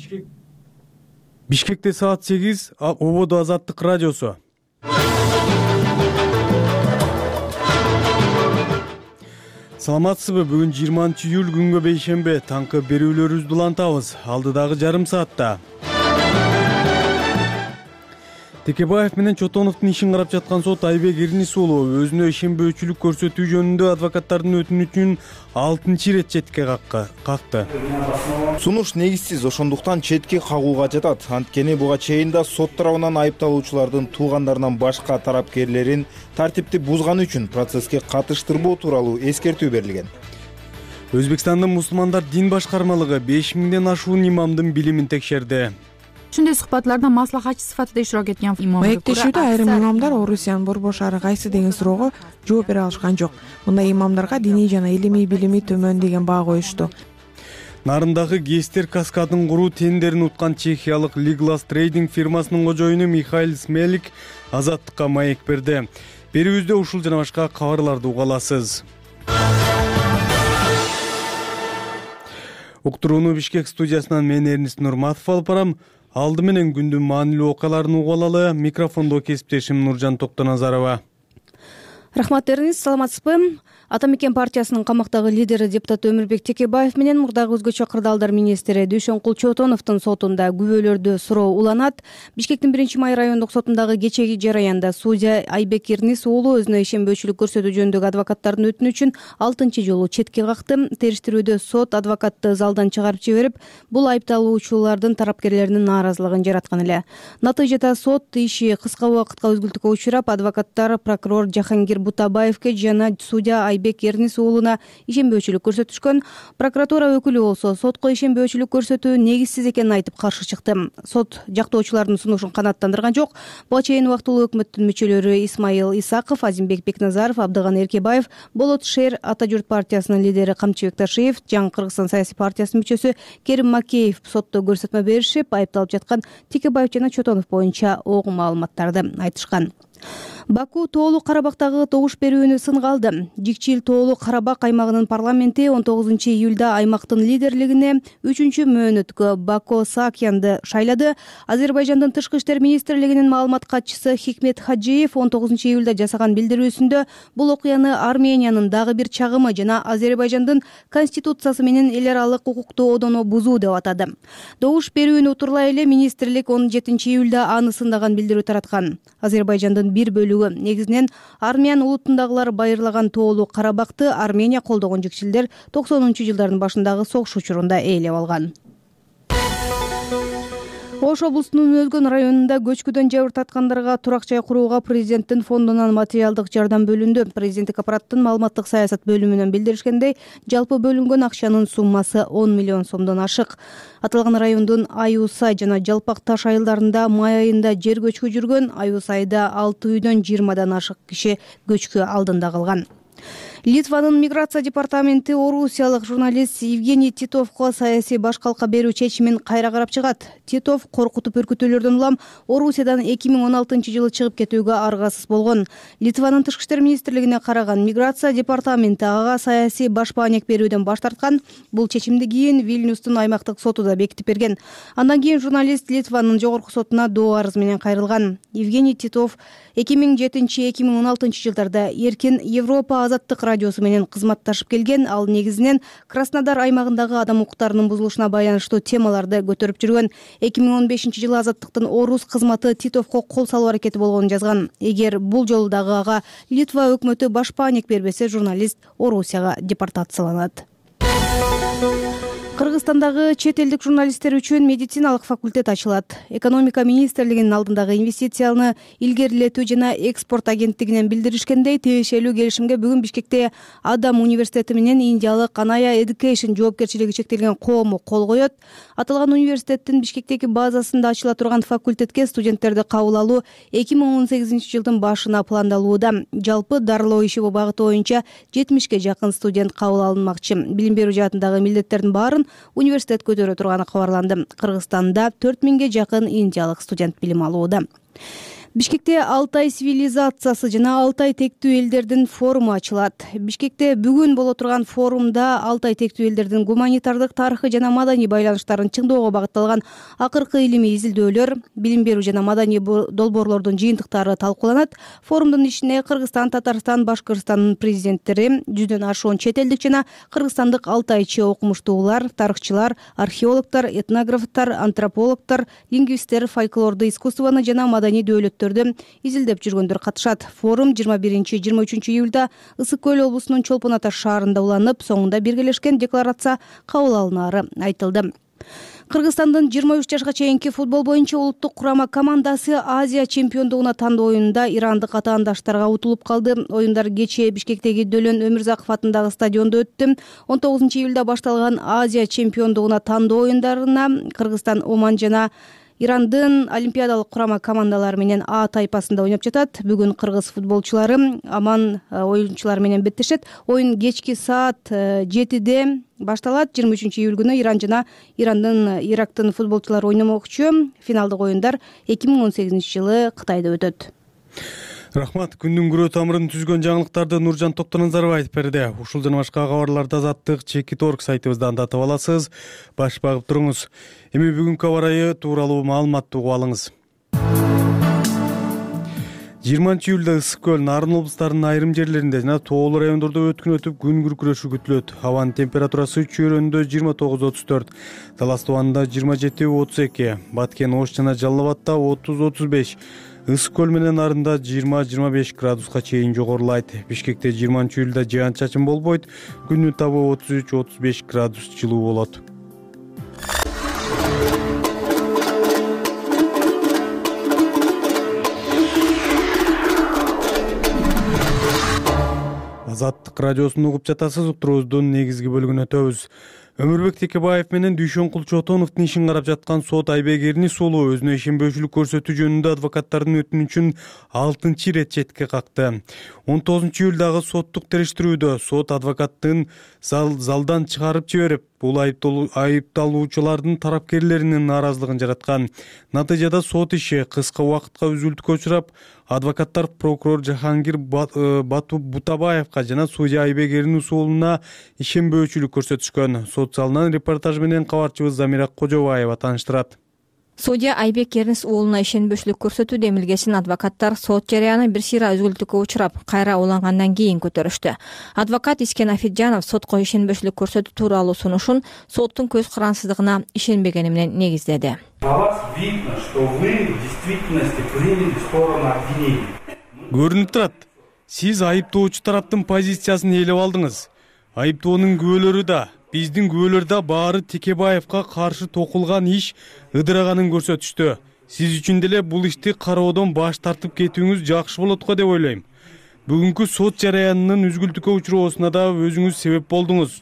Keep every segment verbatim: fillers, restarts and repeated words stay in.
Бишкек Бишкекте саат сегиз, Ободо Азаттык радиосу. Саламатсызбы? Бүгүн жыйырманчы июль күнгө бейшембе. Таңкы берүүлөрүбүздү улантабыз. Алдыдагы жарым саатта Текебаев менен Чотоновдун ишин карап жаткан сот Айбек Эрнис уулу өзүнө ишенбөөчүлүк көрсөтүү жөнүндө адвокаттардын өтүнүчүн алтынчы ирет четке какты. Сунуш негизсиз, ошондуктан четке кагууга жатат. Анткени буга чейин да сот тарабынан айыпталуучулардын туугандарынан башка тарапкерлерин тартипти бузганы үчүн процесске катыштырбоо тууралуу эскертүү берилген. Өзбекстандын мусулмандар дин башкармалыгы беш миңден ашуун имамдын билимин текшерди. Ушундай суhbatlarda маслахатчы сыфатында иштирок эткен имам. Маектешүүдө айрым имамдар Орусиянын Борбор шаары кайсы деген суроого жооп бере алышкан жок. Мындай имамдарга диний жана илимий билими төмөн деген баа коюшту. Нарындагы гэстер каскадын куруу тендерин уткан чехиялык Liglas Trading фирмасынын кожоюну Михаил Смелик Азаттыкка маек берди. Берүүбүздө ушул жана башка кабарларды уга аласыз. Уктурууну Бишкек студиясынан мен Эрнис Нурматов алып барам. Алды менен күндүн маанилүү окуяларын угуп алалы. Микрофондо кесиптешим Нуржан Токтоназарова. Рахмат Эрнис, саламатсызбы? Ата мекен партиясынын камактагы лидери депутат Өмүрбек Текебаев менен мурдагы өзгөчө кырдаалдар министри Дүйшөнкул Чотоновдун сотунда күбөлөрдү суроо уланат. Бишкектин биринчи май райондук сотундагы кечеги жараянда судья Айбек Эрнис уулу өзүнө ишенбөөчүлүк көрсөтүү жөнүндөгү адвокаттардын өтүнүчүн алтынчы жолу четке какты. Териштирүүдө сот адвокатты залдан чыгарып жиберип, бул айыпталуучулардын тарапкерлеринин нааразылыгын жараткан эле. Натыйжада сот иши кыска убакытка өзгөлтүүгө учурап, адвокаттар прокурор Жахангир Бутабаевке жана судья Айбек Эрнис уулуна ишенбөөчүлүк көрсөтүшкөн. Прокуратура өкүлү болсо сотко ишенбөөчүлүк көрсөтүү негизсиз экенин айтып каршы чыкты. Сот жактоочулардын сунушун канааттандырган жок. Буга чейин убактылуу өкмөттүн мүчөлөрү Исмаил Исаков, Азимбек Бекназаров, Абдыган Эркебаев, Болот Шер Ата журт партиясынын лидери Камчыбек Ташиев, Жаңы Кыргызстан саясий партиясынын мүчөсү Керим Макеев сотто көрсөтмө беришип, айыпталып жаткан Текебаев жана Чотонов боюнча огу маалыматтарды айтышкан. Баку Тоолу Карабактагы добуш берүүнү сынга алды. Жикчил Тоолу Карабак аймагынын парламенти он тогузунчу июлда аймактын лидерлигине үчүнчү мөөнөткө Бако Саакянды шайлады. Азербайжандын тышкы иштер министрлигинин маалымат катчысы Хикмет Хаджиев он тогузунчу июлда жасаган билдирүүсүндө бул окуяны Армениянын дагы бир чагымы жана Азербайжандын конституциясы менен эл аралык укукту одону бузуу деп атады. Добуш берүүнү утурлай эле министрлик он жетинчи июлда аны сындаган билдирүү тараткан. Азербайжандын бир бөлүгү, негизинен Армян улутундагылар байырлаган Тоолу Карабакты Армения колдогон жикчилдер токсонунчу жылдардын башындагы согуш учурунда ээлеп алган. Ош облусунун Өзгөн районунда көчкүдөн жабыр тарткандарга турак жай курууга президенттин фондунан материалдык жардам бөлүндү. Президенттик аппараттын маалыматтык саясат бөлүмүнөн билдиришкендей, жалпы бөлүнгөн акчанын суммасы он миллион сомдон ашык. Аталган райондун Аюусай жана Жалпак Таш айылдарында май айында жер көчкү жүргөн. Аюусайда алты үйдөн жыйырмадан ашык киши көчкү алдында калган. Литванын миграция департаменти орусиялык журналист Евгений Титовго саясий башкалка берүү чечимин кайра карап чыгат. Титов коркутуп үркүтүүлөрдөн улам Орусиядан эки миң он алтынчы жылы чыгып кетүүгө аргасыз болгон. Литванын тышкы иштер министрлигине караган миграция департаменти ага саясий баш баанек берүүдөн баш тарткан. Бул чечимди кийин Вильнюстун аймактык соту да бекитип берген. Андан кийин журналист Литванын жогорку сотуна доо арыз менен кайрылган. Евгений Титов эки миң жетинчи эки миң он алтынчы жылдарда Эркин Европа азаттык радиосу менен кызматташып келген. Ал негизинен Краснодар аймагындагы адам укуктарынын бузулушуна байланыштуу темаларды көтөрүп жүргөн. эки миң он бешинчи жылы азаттыктын Орус кызматы Титовго кол салуу аракети болгонун жазган. Эгер бул жолу дагы ага Литва өкмөтү баш баанек бербесе, журналист Орусияга депортацияланат. Кыргызстандагы чет элдик журналисттер үчүн медициналык факультет ачылат. Экономика министрлигинин алдындагы инвестицияны илгерилетүү жана экспорт агенттигинен билдиришкендей, тиешелүү келишимге бүгүн Бишкекте Адам университети менен индиялык Анaya Education жоопкерчилиги чектелген коому кол коет. Аталган университеттин Бишкектеги базасында ачыла турган факультетке студенттерди кабыл алуу эки миң он сегизинчи жылдын башына пландалууда. Жалпы дарылоо иши багыты боюнча жетимишке жакын студент кабыл алынмакчы. Билим берүү жаатындагы милдеттердин баарын университет көтөрө турганы кабарланды. Кыргызстанда төрт миңге жакын индиялык студент билим алууда. Бишкекте Алтай цивилизациясы жана Алтай тектүү элдердин форуму ачылат. Бишкекте бүгүн боло турган форумда Алтай тектүү элдердин гуманитардык, тарыхый жана маданий байланыштарын чыңдоого багытталган акыркы илимий изилдөөлөр, билим берүү жана маданий долбоорлордун жыйынтыктары талкууланат. Форумдун ишине Кыргызстан, Татарстан, Башкыртстандын президенттери, жүздөн ашуун чет элдик жана кыргызстандык алтайчы окумуштуулар, тарыхчылар, археологдор, этнографтар, антропологдор, лингвисттер, фольклорду, искусствону жана маданий дөөлөттөрдү изилдеп жүргөндөр катышат. Форум жыйырма биринчи — жыйырма үчүнчү июлда Ысык көл облусунун Чолпон Ата шаарында уланып, соңунда биргелешкен декларация кабыл алынаары айтылды. Кыргызстандын жыйырма үч жашка чейинки футбол боюнча улуттук курама командасы Азия чемпиондугуна тандоо оюнунда ирандык атаандаштарга утулуп калды. Оюндар кечээ Бишкектеги Дөлөн Өмүрзаков атындагы стадиондо өттү. он тогузунчу июлда башталган Азия чемпиондугуна тандоо оюндарына Кыргызстан, Оман жана Ирандын олимпиадалык курама командалары менен А тайпасында ойноп жатат. Бүгүн кыргыз футболчулары Оман оюнчулары менен беттешет. Оюн кечки саат жетиде башталат. жыйырма үчүнчү июль күнү Иран жана Ирандын Ирактын футболчулары ойномокчу. Финалдык оюндар эки миң он сегизинчи жылы Кытайда өтөт. Рахмат. Күндүн күрөө тамырын түзгөн жаңылыктарды Нуржан Токтоназаров айтып берди. Ушул жана башка кабарларды Азаттык Чекит орг сайтыбыздан да таба аласыз. Баш багып туруңуз. Эми бүгүнкү аба ырайы тууралуу маалыматты угуп алыңыз. жыйырманчы июлда Ысык көл, Нарын облустарынын айрым жерлеринде жана тоолуу райондордо өткүн өтүп күн күркүрөшү күтүлөт. Абанын температурасы Чөйрөндө жыйырма тогуз — отуз төрт, Талас Тубанында жыйырма жети — отуз эки, Баткен, Ош жана Жалал Абадта отуз — отуз беш, Ысык көл менен Нарында жыйырма — жыйырма беш градуска чейин жогорулайт. Бишкекте жыйырманчы июлда жаан чачын болбойт. Күндүн табы отуз үч — отуз беш градус жылуу болот. Азаттык радиосун угуп жатасыз. Уктуруубуздун негизги бөлүгүнө өтөбүз. Өмүрбек Текебаев менен Дүйшөнкул Чотоновдун ишин карап жаткан сот Айбек Эрнис уулу өзүнө ишенбөөчүлүк көрсөтүү жөнүндө адвокаттардын өтүнүчүн алтынчы ирет четке какты. он тогузунчу июлдагы соттук териштирүүдө сот адвокаттын зал, залдан чыгарып жиберип, бул айыпталуучулардын тарапкерлеринин нааразылыгын жараткан. Натыйжада сот иши кыска убакытка үзүлтүүгө учурап, адвокаттар прокурор Жахангир Бутабаевка жана судья Айбек Эрнис уулуна ишенбөөчүлүк көрсөтүшкөн. Сот залынан репортаж менен кабарчыбыз Замира Кожобаева тааныштырат. Судья Айбек Эрнис уулуна ишенбөөчүлүк көрсөтүү демилгесин адвокаттар сот жарыяны бир сыйра үзгүлтүккө учурап, кайра улангандан кийин көтөрүштү. Адвокат Искен Афиджанов сотко ишенбөөчүлүк көрсөтүү тууралуу сунушун соттун көз карансыздыгына ишенбегени менен негиздеди. Көрүнүп турат, сиз айыптоочу тараптын позициясын ээлеп алдыңыз. Айыптоонун күбөлөрү да, биздин күбөлөр да баары Текебаевка каршы токулган иш ыдыраганын көрсөтүштү. Сиз үчүн деле бул ишти кароодон баш тартып кетүүңүз жакшы болот го деп ойлойм. Бүгүнкү сот жарыянынын үзгүлтүккө учуроосуна да өзүңүз себеп болдуңуз.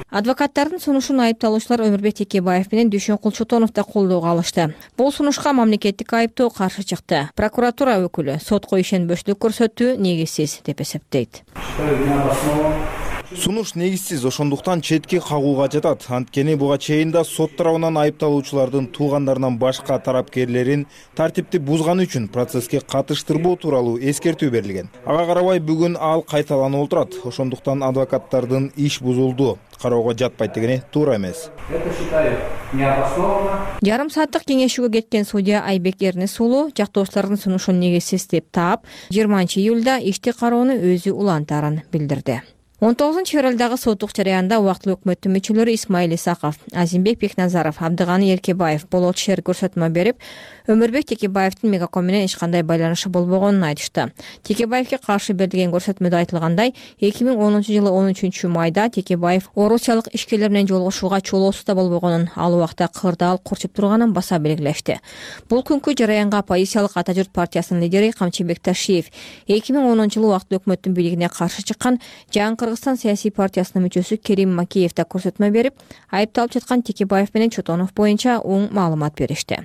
Адвокаттардын сунушун айыпталуучулар Өмүрбек Текебаев менен Дүйшөнкул Чотонов да колдоого алышты. Бул сунушка мамлекеттик айыптоо каршы чыкты. Прокуратура өкүлү сотко ишенбөөчүлүк көрсөтүү негизсиз деп эсептейт. Сунуш негизсиз, ошондуктан четке кагууга жатат. Анткени буга чейин да сот тарабынан айыпталуучулардын туугандарынан башка тарапкерлерин тартипти бузганы үчүн процесске катыштырбоо тууралуу эскертүү берилген. Ага карабай бүгүн ал кайталанып отурат. Ошондуктан адвокаттардын иш бузулду, кароого жатпайт дегени туура эмес. Жарым сааттык кеңешүүгө кеткен судья Айбек Эрнис уулу жактоочулардын сунушун негизсиз деп таап, жыйырманчы июлда ишти кароону өзү улантаарын билдирди. он тогузунчу февралдагы соттук жарыянда убактылуу өкмөттүн мүчөлөрү Исмаил Исаков, Азимбек Бекназаров, Абдыганы Эркебаев болот шер көрсөтмө берип, Өмүрбек Текебаевдин Мегаком менен эч кандай байланышы болбогонун айтышты. Текебаевге каршы берилген көрсөтмөдө айтылгандай, эки миң онунчу жылы он үчүнчү майда Текебаев орусиялык ишкерлер менен жолугушууга чолоосу болбогонун, ал убакта кырдаал курчуп турганын баса белгилешти. Бул күнкү жарыянга оппозициялык Ата журт партиясынын лидери Камчыбек Ташиев эки миң онунчу жылы убактылуу өкмөттүн бийлигине каршы чыккан Жаңкыр Кыргызстан саясий партиясынын мүчөсү Керим Макеев да көрсөтмө берип, айыпталып жаткан Текебаев менен Чотонов боюнча оң маалымат беришти.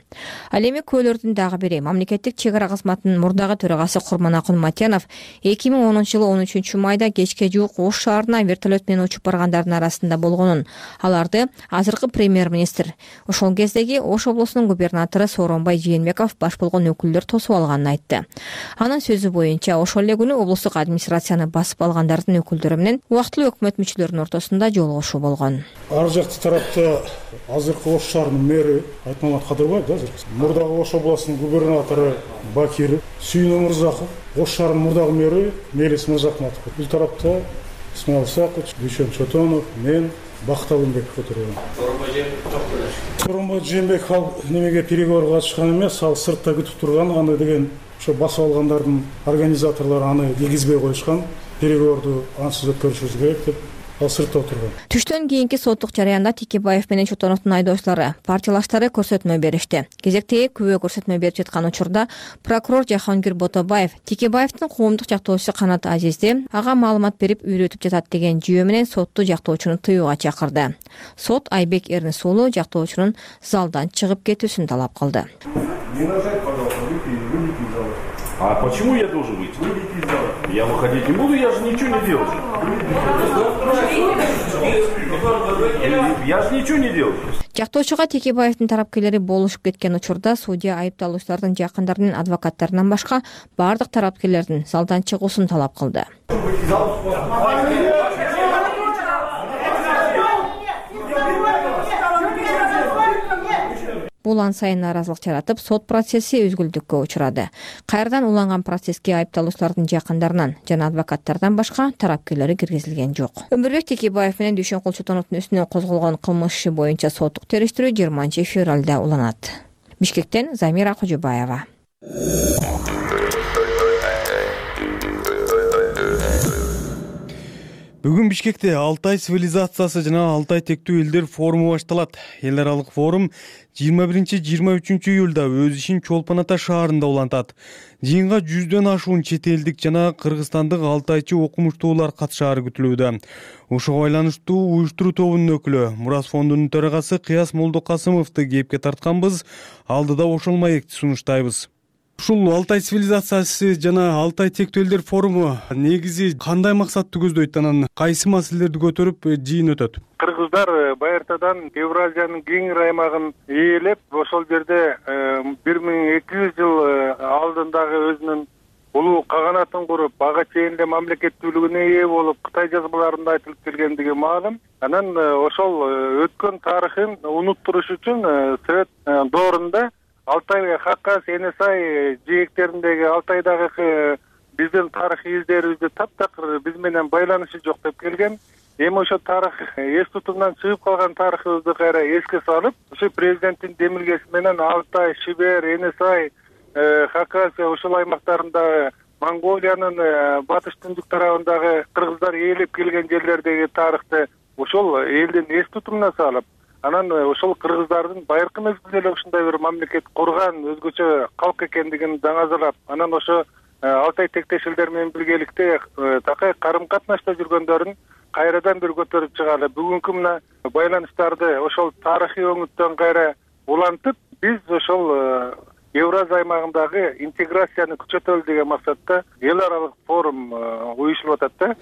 Ал эми күбөлөрдүн дагы бири мамлекеттик чек ара кызматынын мурдагы төрагасы Курманакун Матянов эки миң онунчу жылы он үчүнчү майда кечке жуук Ош шаарына вертолет менен учуп баргандардын арасында болгонун, аларды азыркы премьер-министр, ошол кездеги Ош облусунун губернатору Сооронбай Жээнбеков баш болгон өкүлдөр тосуп алганын айтты. Анын сөзү боюнча, ошол эле күнү облустук администрацияны басып алгандардын өкүлдөрү менен убактылуу өкмөт мүчөлөрүнүн ортосунда жолугушуу болгон. Ар жакты тарапта азыркы Ош шаарынын мэри Айтмамат Кадырбаев да, мурдагы Ош облусунун губернатору Бакир Сүйүнө Мырзаков, Ош шаарынын мурдагы мэри Мелис Мырзахматов. Бул тарапта Исмаил Исакович, Дүйшөн Чотонов, мен Бакыт Алымбеков отурган. Сооронбай Жээнбеков ал немеге переговорга катышкан эмес, ал сыртта күтүп турган, аны деген ошо басып алгандардын организаторлору аны киргизбей коюшкан, переговорду ансыз өткөрүшүбүз керек деп ал сыртта отурган. Түштөн кийинки соттук жараянда Текебаев менен Чотоновдун айдоочулары, партиялаштары көрсөтмө беришти. Кезектеги күбө көрсөтмө берип жаткан учурда прокурор Жахангир Ботобаев Текебаевдин коомдук жактоочусу Канат Азизди ага маалымат берип үйрөтүп жатат деген жүйө менен сотту жактоочуну тыюуга чакырды. Сот Айбек Эрнис уулу жактоочунун залдан чыгып кетүүсүн талап кылды. А почему я должен выйти? Я выходить не буду, я же ничего не делал. Я же ничего не делал. Жактоочуга Текебаевдин тарапкерлери болушуп кеткен учурда судья айыпталуучулардын жакындарынын адвокаттарынан башка бардык тарапкерлердин залдан чыгуусун талап кылды. Бул ан сайын нааразылык жаратып, сот процесси үзгүлтүккө учурады. Кайрадан уланган процесске айыпталуучулардын жакындарынан жана адвокаттардан башка тарапкерлери киргизилген жок. Өмүрбек Текебаев менен Дүйшөн Чотоновдун үстүнөн козголгон кылмыш иши боюнча соттук териштирүү жыйырманчы февралда уланат. Бишкектен Замира Кожобаева. Бүгүн Бишкекте Алтай цивилизациясы жана Алтай тектүү элдер форуму башталат. Эл аралык форум жыйырма биринчи — жыйырма үчүнчү июлда өз ишин Чолпон Ата шаарында улантат. Жыйынга жүздөн ашуун чет элдик жана кыргызстандык алтайчы окумуштуулар катышаары күтүлүүдө. Ошого байланыштуу уюштуруу тобунун өкүлү Мурас фондунун төрагасы Кыяс Молдокасымовду кепке тартканбыз. Алдыда ошол маекти сунуштайбыз. Ушул Алтай цивилизациясы жана Алтай тектүү элдер форуму негизи кандай максатты көздөйт, анан кайсы маселелерди көтөрүп жыйын өтөт? Кыргыздар байыртадан Евразиянын кеңир аймагын ээлеп, ошол жерде бир миң эки жүз жыл алдындагы өзүнүн улуу каганатын куруп, ага чейин эле мамлекеттүүлүгүнө ээ болуп, Кытай жазмаларында айтылып келгендиги маалым. Анан ошол өткөн тарыхын унуттуруш үчүн Совет доорунда Алтай, Хакас, Энесай жээктериндеги Алтайдагы биздин тарыхый издерибизди таптакыр биз менен байланышы жок деп келген. Эми ошо тарых эс тутумдан чыгып калган тарыхыбызды кайра эске салып, ошо президенттин демилгеси менен Алтай, Шибер, Энесай, Хакас ошол аймактарында Монголиянын батыш түндүк тарабындагы кыргыздар ээлеп келген жерлердеги тарыхты ошол элдин эс тутумуна салып, анан ошол кыргыздардын байыркы мезгилде эле ушундай бир мамлекет курган өзгөчө калк экендигин даңазалап, анан ошо Алтай тектеш элдер менен биргеликте такай карым катнашта жүргөндөрүн кайрадан бир көтөрүп чыгалы. Бүгүнкү мына байланыштарды ошол тарыхый өңүттөн кайра улантып, биз ошол Евразия аймагындагы интеграцияны күчөтөлү деген максатта эл аралык форум уюшулуп атат да.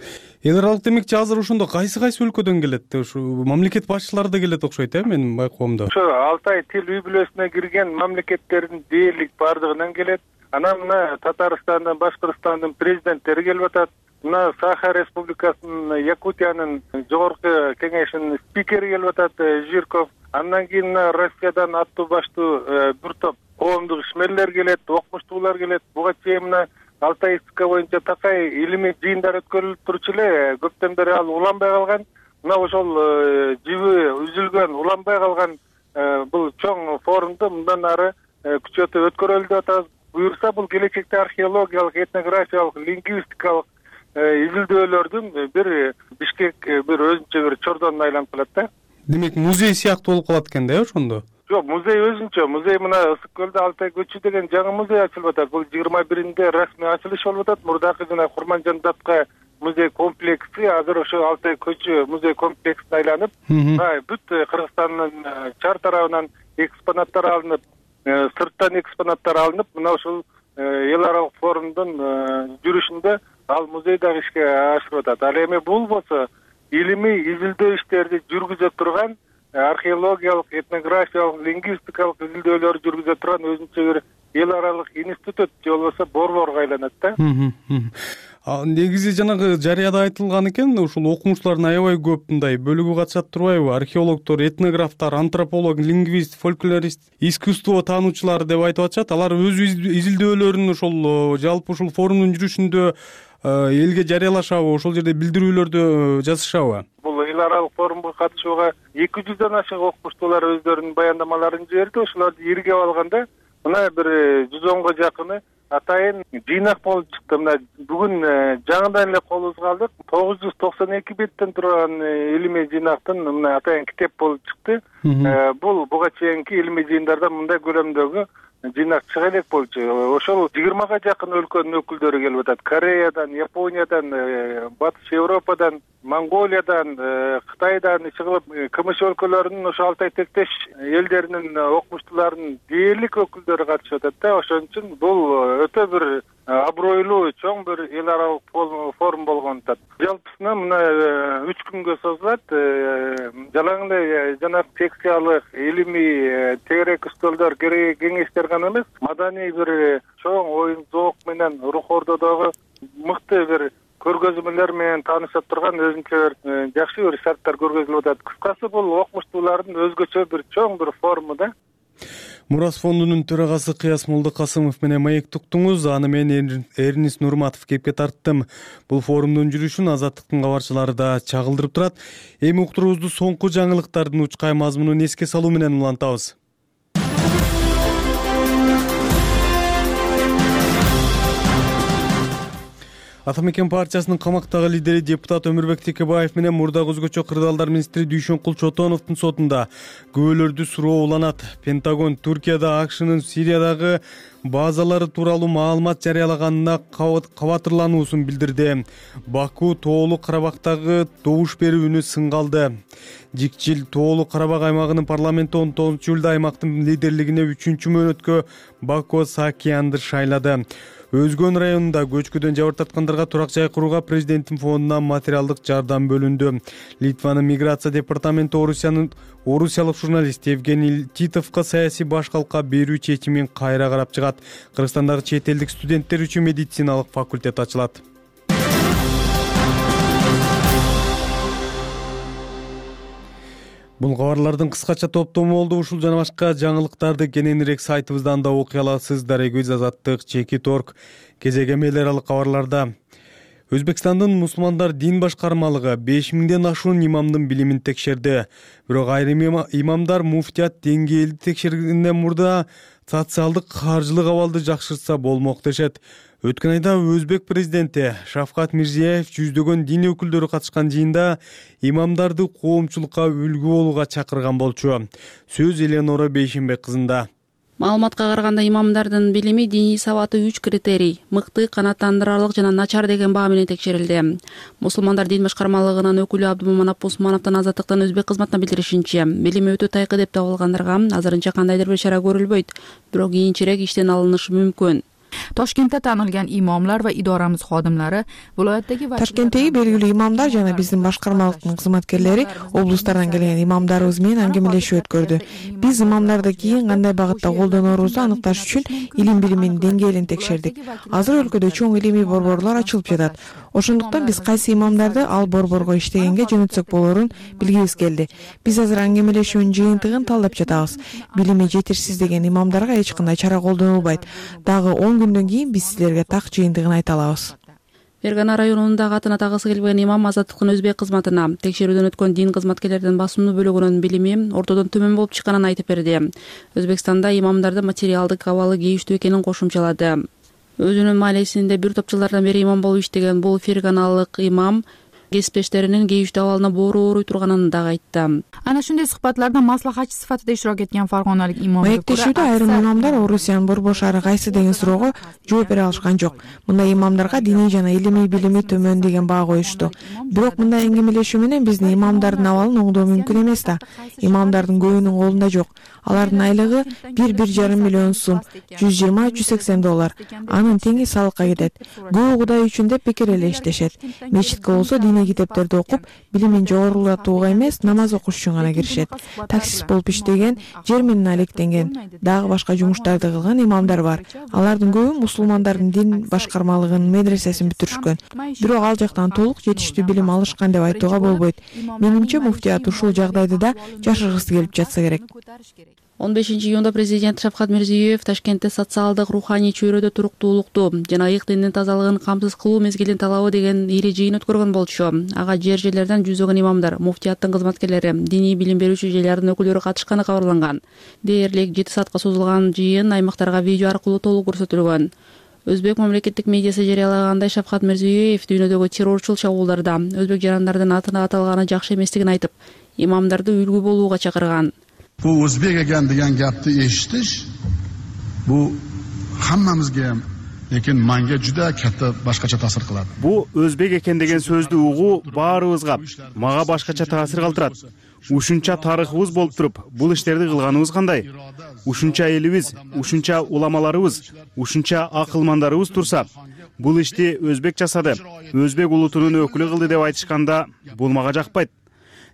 Эл аралык демекчи азыр ошондо кайсы кайсы өлкөдөн келет? Ушу мамлекет башчылары да келет окшойт, э, менин байкоомдо. Ошо Алтай тил үй бүлөсүнө кирген мамлекеттердин дээрлик бардыгынан келет. Анан мына Татарстандын, Башкырстандын президенттери келип атат. Мына Саха Республикасынын, Якутиянын жогорку кеңешинин спикери келип атат, Жирков. Андан кийин Россиядан аттуу баштуу бир топ коомдук ишмерлер келет, окумуштуулар келет. Буга чейин мына Алтайстика боюнча такай илимий жыйындар өткөрүлүп турчу эле, көптөн бери ал уланбай калган. Мына ошол жиби үзүлгөн, уланбай калган бул чоң форумду мындан ары күчөтүп өткөрөлү деп атабыз. Буюрса бул келечекте археологиялык, этнографиялык, лингвистикалык изилдөөлөрдүн бир Бишкек бир өзүнчө бир чордонуна айланып калат да. Демек музей сыяктуу болуп калат экен да, э, ошондо? Жок, музей өзүнчө. Музей мына Ысык көлдө Алтай көчү деген жаңы музей ачылып атат. Бул жыйырма биринде расмий ачылыш болуп атат. Мурдакы жана Курманжан Датка музей комплекси азыр ошо Алтай көчө музей комплексине айланып, бүт Кыргызстандын чар тарабынан экспонаттар алынып, сырттан экспонаттар алынып, мына ушул эл аралык форумдун жүрүшүндө ал музей дагы ишке ашырып атат. Ал эми бул болсо илимий изилдөө иштерди жүргүзө турган, археологиялык, этнографиялык, лингвистикалык изилдөөлөр жүргүзө турган өзүнчө бир эл аралык институт же болбосо борборго айланат да. Негизи жанагы жарыяда айтылган экен, ушул окумуштуулардын аябай көп мындай бөлүгү катышат турбайбы? Археологдор, этнографтар, антрополог, лингвист, фольклорист, искусство таануучулар деп айтып атышат. Алар өз изилдөөлөрүн ошол жалпы ушул форумдун жүрүшүндө элге жарыялашабы, ошол жерде билдирүүлөрдү жазышабы? Бул эл аралык форумга катышууга эки жүздөн ашык окумуштуулар өздөрүнүн баяндамаларын жиберди. Ошолорду иргеп алганда мына бир жүз онго жакыны атайын жыйнак болуп чыкты. Мына бүгүн жаңыдан эле колубузга алдык. тогуз жүз токсон эки беттен турган илимий жыйнактын мына атайын китеп болуп чыкты. Бул буга чейинки илимий жыйындардан мындай көлөмдөгү жыйнак чыга элек болчу. Ошол жыйырмага жакын өлкөнүн өкүлдөрү келип атат. Кореядан, Япониядан, Батыш Европадан, Монголиядан, Кытайдан иши кылып КМШ өлкөлөрүнүн ошо Алтай тектеш элдеринин окумуштууларынын дээрлик өкүлдөрү катышып атат да. Ошон үчүн бул өтө бир абройлуу, чоң бир эл аралык форум болгон атат. Жалпысынан мына үч күнгө созулат. Жалаң эле жанагы секциялык, илимий тегерек үстөлдөр, кеңештер гана эмес, маданий бир чоң оюн зоок менен рух ордодогу мыкты бир көргөзмөлөр менен таанышып турган өзүнчө бир жакшы бир шарттар көргөзүлүп атат. Кыскасы бул окумуштуулардын өзгөчө бир чоң бир форуму да. Мурас фондунун төрагасы Кыяс Молдокасымов менен маек туктуңуз. Аны мен Эрнис Нурматов кепке тарттым. Бул форумдун жүрүшүн Азаттыктын кабарчылары да чагылдырып турат. Эми уктуруубузду соңку жаңылыктардын учкай мазмунун эске салуу менен улантабыз. Ата мекен партиясынын камактагы лидери депутат Өмүрбек Текебаев менен мурдагы өзгөчө кырдаалдар министри Дүйшөнкул Чотоновдун сотунда күбөлөрдү суроо уланат. Пентагон Туркияда АКШнын Сириядагы базалары тууралуу маалымат жарыялаганына кабатырлануусун билдирди. Баку Тоолуу Карабактагы добуш берүү үнү сынгалды. Жикчил Тоолуу Карабак аймагынын парламенти он тогузунчу июлда аймактын лидерлигине үчүнчү мөөнөткө Баку Саакиянды шайлады. Өзгөн районунда көчкүдөн жабыр тарткандарга турак жай курууга президенттин фондунан материалдык жардам бөлүндү. Литванын миграция департаменти Орусиянын орусиялык журналист Евгений Титовго саясий башкалка берүү чечимин кайра карап чыгат. Кыргызстандагы чет элдик студенттер үчүн медициналык факультет ачылат. Бул кабарлардын кыскача топтому болду. Ушул жана башка жаңылыктарды кененирээк сайтыбыздан да окуй аласыз. Дарегүз Азаттык, Чекит орг, кезегем эл аралык кабарларда. Өзбекстандын мусулмандар дин башкармалыгы беш миңден ашуун имамдын билимин текшерди. Бирок айрым имамдар муфтият деңгээлди текшергенден мурда социалдык каржылык абалды жакшыртса болмок дешет. Өткөн айда Өзбек президенти Шавкат Мирзиеев жүздөгөн дин өкүлдөрү катышкан жыйында имамдарды коомчулукка үлгү болууга чакырган болчу. Сөз Эленора Бейшенбек кызында. Маалыматка караганда имамдардын билими, диний сабаты үч критерий: мыкты, канааттандырарлык жана начар деген баа менен текшерилди. Мусулмандар дин башкармалыгынын өкүлү Абдумаманап Усмановдун Азаттыктын Өзбек кызматына билдиришинче, билими өтө тайкы деп табылгандарга азырынча кандайдыр бир чара көрүлбөйт, бирок кийинчерээк иштен алынышы мүмкүн. Toshkentda tanilgan imomlar va idoramiz xodimlari viloyatdagi Toshkentdagi belgili imomlar жана биздин башкармалыктын кызматкерлери облустардан келген имамдарыбыз менен аңгемелешүү өткөрдү. Биз имамдарды кийин кандай багытта колдонорубузду аныкташ үчүн илим билиминин деңгээлин текшердик. Азыр өлкөдө чоң илимий борборлор ачылып жатат. Ошондуктан биз кайсы имамдарды ал борборго иштегенге жөнөтсөк болорун билгибиз келди. Биз азыр аңгемелешүүнүн жыйынтыгын талдап жатабыз. Билими жетишсиз деген имамдарга эч кандай чара колдонулбайт. Дагы он күндөн кийин биз силерге так жыйынтыгын айта алабыз. Фергана районундагы атын атагысы келбеген имам Азаттыктын Өзбек кызматына текшерүүдөн өткөн дин кызматкерлеринин басымдуу бөлүгүнүн билими ортодон төмөн болуп чыкканын айтып берди. Өзбекстанда имамдарды материалдык абалы кейиштүү экенин кошумчалады. Өзүнүн маалесинде бир топ жылдардан бери имам болуп иштеген бул ферганалык имам кесиптештеринин кейиштүү абалына боору ооруй турганын дагы айтты. Ana shunday suhbatlarda maslahatchi sifatida ishtirok etgan farg'onalik imomga маектешүүдө айрым имамдар Орусиянын борбор шаары кайсы деген суроого жооп бере алышкан жок. Мындай имамдарга диний жана илимий билими төмөн деген баа коюшту. Бирок мындай эңгемелешүү менен биздин имамдардын абалын оңдоо мүмкүн эмес да. Имамдардын көбүнүн колунда жок. Алардын айлыгы бир бир жарым миллион сум, жүз жыйырма жүз сексен доллар. Анын теңи салыкка кетет. Көбү Кудай үчүн деп бекер эле иштешет. Мечитке болсо диний китептерди окуп, билимин жогорулатууга эмес, намаз окуш үчүн гана киришет. Таксист болуп иштеген, жер менен алектенген, дагы башка жумуштарды кылган имамдар бар. Алардын көбү мусулмандардын дин башкармалыгынын медресесин бүтүрүшкөн. Бирок ал жактан толук жетиштүү билим алышкан деп айтууга болбойт. Менимче муфтият ушул жагдайды да жашыргысы келип жатса керек. он бешинчи июнда президент Шавкат Мирзиёев Ташкентте социалдык руханий чөйрөдө туруктуулукту жана ыйык диндин тазалыгын камсыз кылуу мезгилин талабы деген ири жыйын өткөргөн болчу. Ага жер жерлерден жүздөгөн имамдар, муфтияттын кызматкерлери, диний билим берүүчү жайлардын өкүлдөрү катышканы кабарланган. Дээрлик жети саатка созулган жыйын аймактарга видео аркылуу толук көрсөтүлгөн. Өзбек мамлекеттик медиасы жарыялагандай Шавкат Мирзиёев дүйнөдөгү террорчул чабуулдарда өзбек жарандардын атына аталганы жакшы эместигин айтып, имамдарды үлгү болууга чакырган. Bu o'zbek ekan degan gapni eshitish bu hammamizga ham, lekin menga juda katta boshqacha ta'sir qiladi. Bu o'zbek ekan degan so'zni uyg'u baribizga maga boshqacha ta'sir qildiradi. Ушунча тарыхыбыз болуп туруп, бул иштерди кылганыбыз кандай? Ушунча элибиз, ушунча уламаларыбыз, ушунча акылмандарыбыз турса, бул ишти өзбек жасады, өзбек улутунун өкүлү кылды деп айтышканда бул мага жакпайт.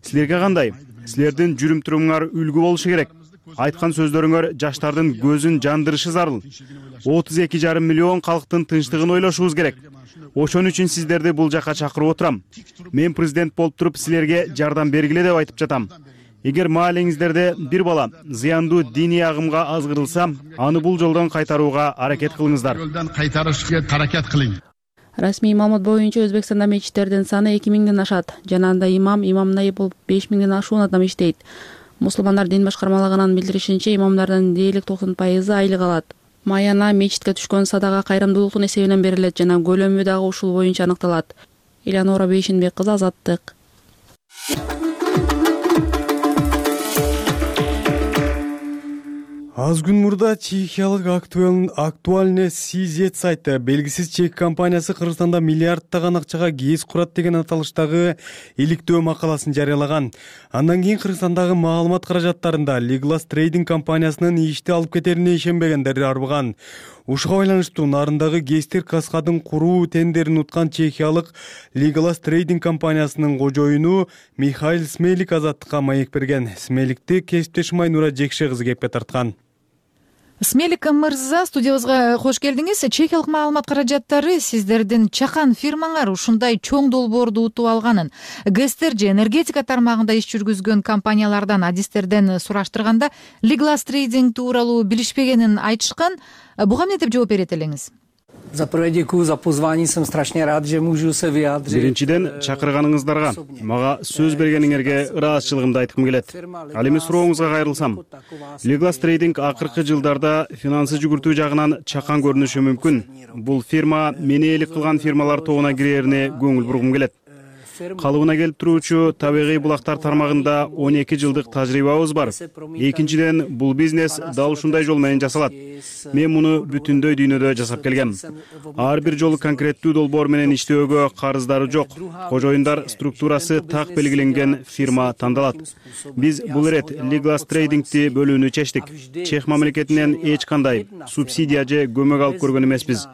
Силерге кандай? Силердин жүрүм турумуңар үлгү болушу керек. Айткан сөздөрүңөр жаштардын көзүн жандырышы зарыл. отуз эки жарым миллион калктын тынчтыгын ойлошубуз керек. Ошон үчүн сиздерди бул жака чакырып отурам. Мен президент болуп туруп силерге жардам бергиле деп айтып жатам. Эгер маалеңиздерде бир бала зыяндуу диний агымга азгырылса, аны бул жолдон кайтарууга аракет кылыңыздар. Жолдон кайтарышка аракет кылың. Расмий маалымат боюнча Өзбекстанда мечиттердин саны эки миңден ашат. Жана анда имам, имам найып болуп беш миңден ашуун адам иштейт. Мусулмандар дин башкармалыгынын билдиришинче, имамдардын дээрлик токсон пайызы айлык алат. Маяна мечитке түшкөн садага кайрымдуулуктун эсебинен берилет жана көлөмү дагы ушул боюнча аныкталат. Элеонора Бейшинбек кызы, Азаттык. Аз күн мурда чехиялык актуальный Сизет сайты белгисиз чек компаниясы Кыргызстанда миллиардтаган акчага кез курат деген аталыштагы иликтөө макаласын жарыялаган. Андан кийин Кыргызстандагы маалымат каражаттарында Liglas Trading компаниясынын ишти алып кетерине ишенбегендер арбыган. Ушуга байланыштуу нарындагы Гестер каскадын куруу тендерин уткан чехиялык Liglas Trading компаниясынын кожоюну Михаил Смелик Азаттыкка маек берген. Смеликти кесиптешим Айнура Жекше кызы кепке тарткан. Смелик мырза, студиябызга кош келдиңиз. Чехиялык маалымат каражаттары сиздердин чакан фирмаңар ушундай чоң долбоорду утуп алганын, Гестер же энергетика тармагында иш жүргүзгөн компаниялардан, адистерден сураштырганда Liglas Trading тууралуу билишпегенин айтышкан. Буга эмне деп жооп берет элеңиз? Биринчиден, чакырганыңыздарга, мага сөз бергениңерге ыраазычылыгымды айткым келет. Ал эми сурооңузга кайрылсам, Liglas Trading акыркы жылдарда финансы жүгүртүү жагынан чакан көрүнүшү мүмкүн. Бул фирма мени элик кылган фирмалар тобуна кирерине көңүл бургум келет. Калыбына келип туруучу табигый булактар тармагында он эки жылдык тажрыйбабыз бар. Экинчиден, бул бизнес дал ушундай жол менен жасалат. Мен муну бүтүндөй дүйнөдө жасап келгем. Ар бир жолу конкреттүү долбоор менен иштөөгө карыздары жок. Кожоюндар структурасы так белгиленген фирма тандалат. Биз бул ирет Liglas Trading'ти бөлүүнү чечтик. Чех мамлекетинен эч кандай субсидия же көмөк алып көргөн эмеспиз.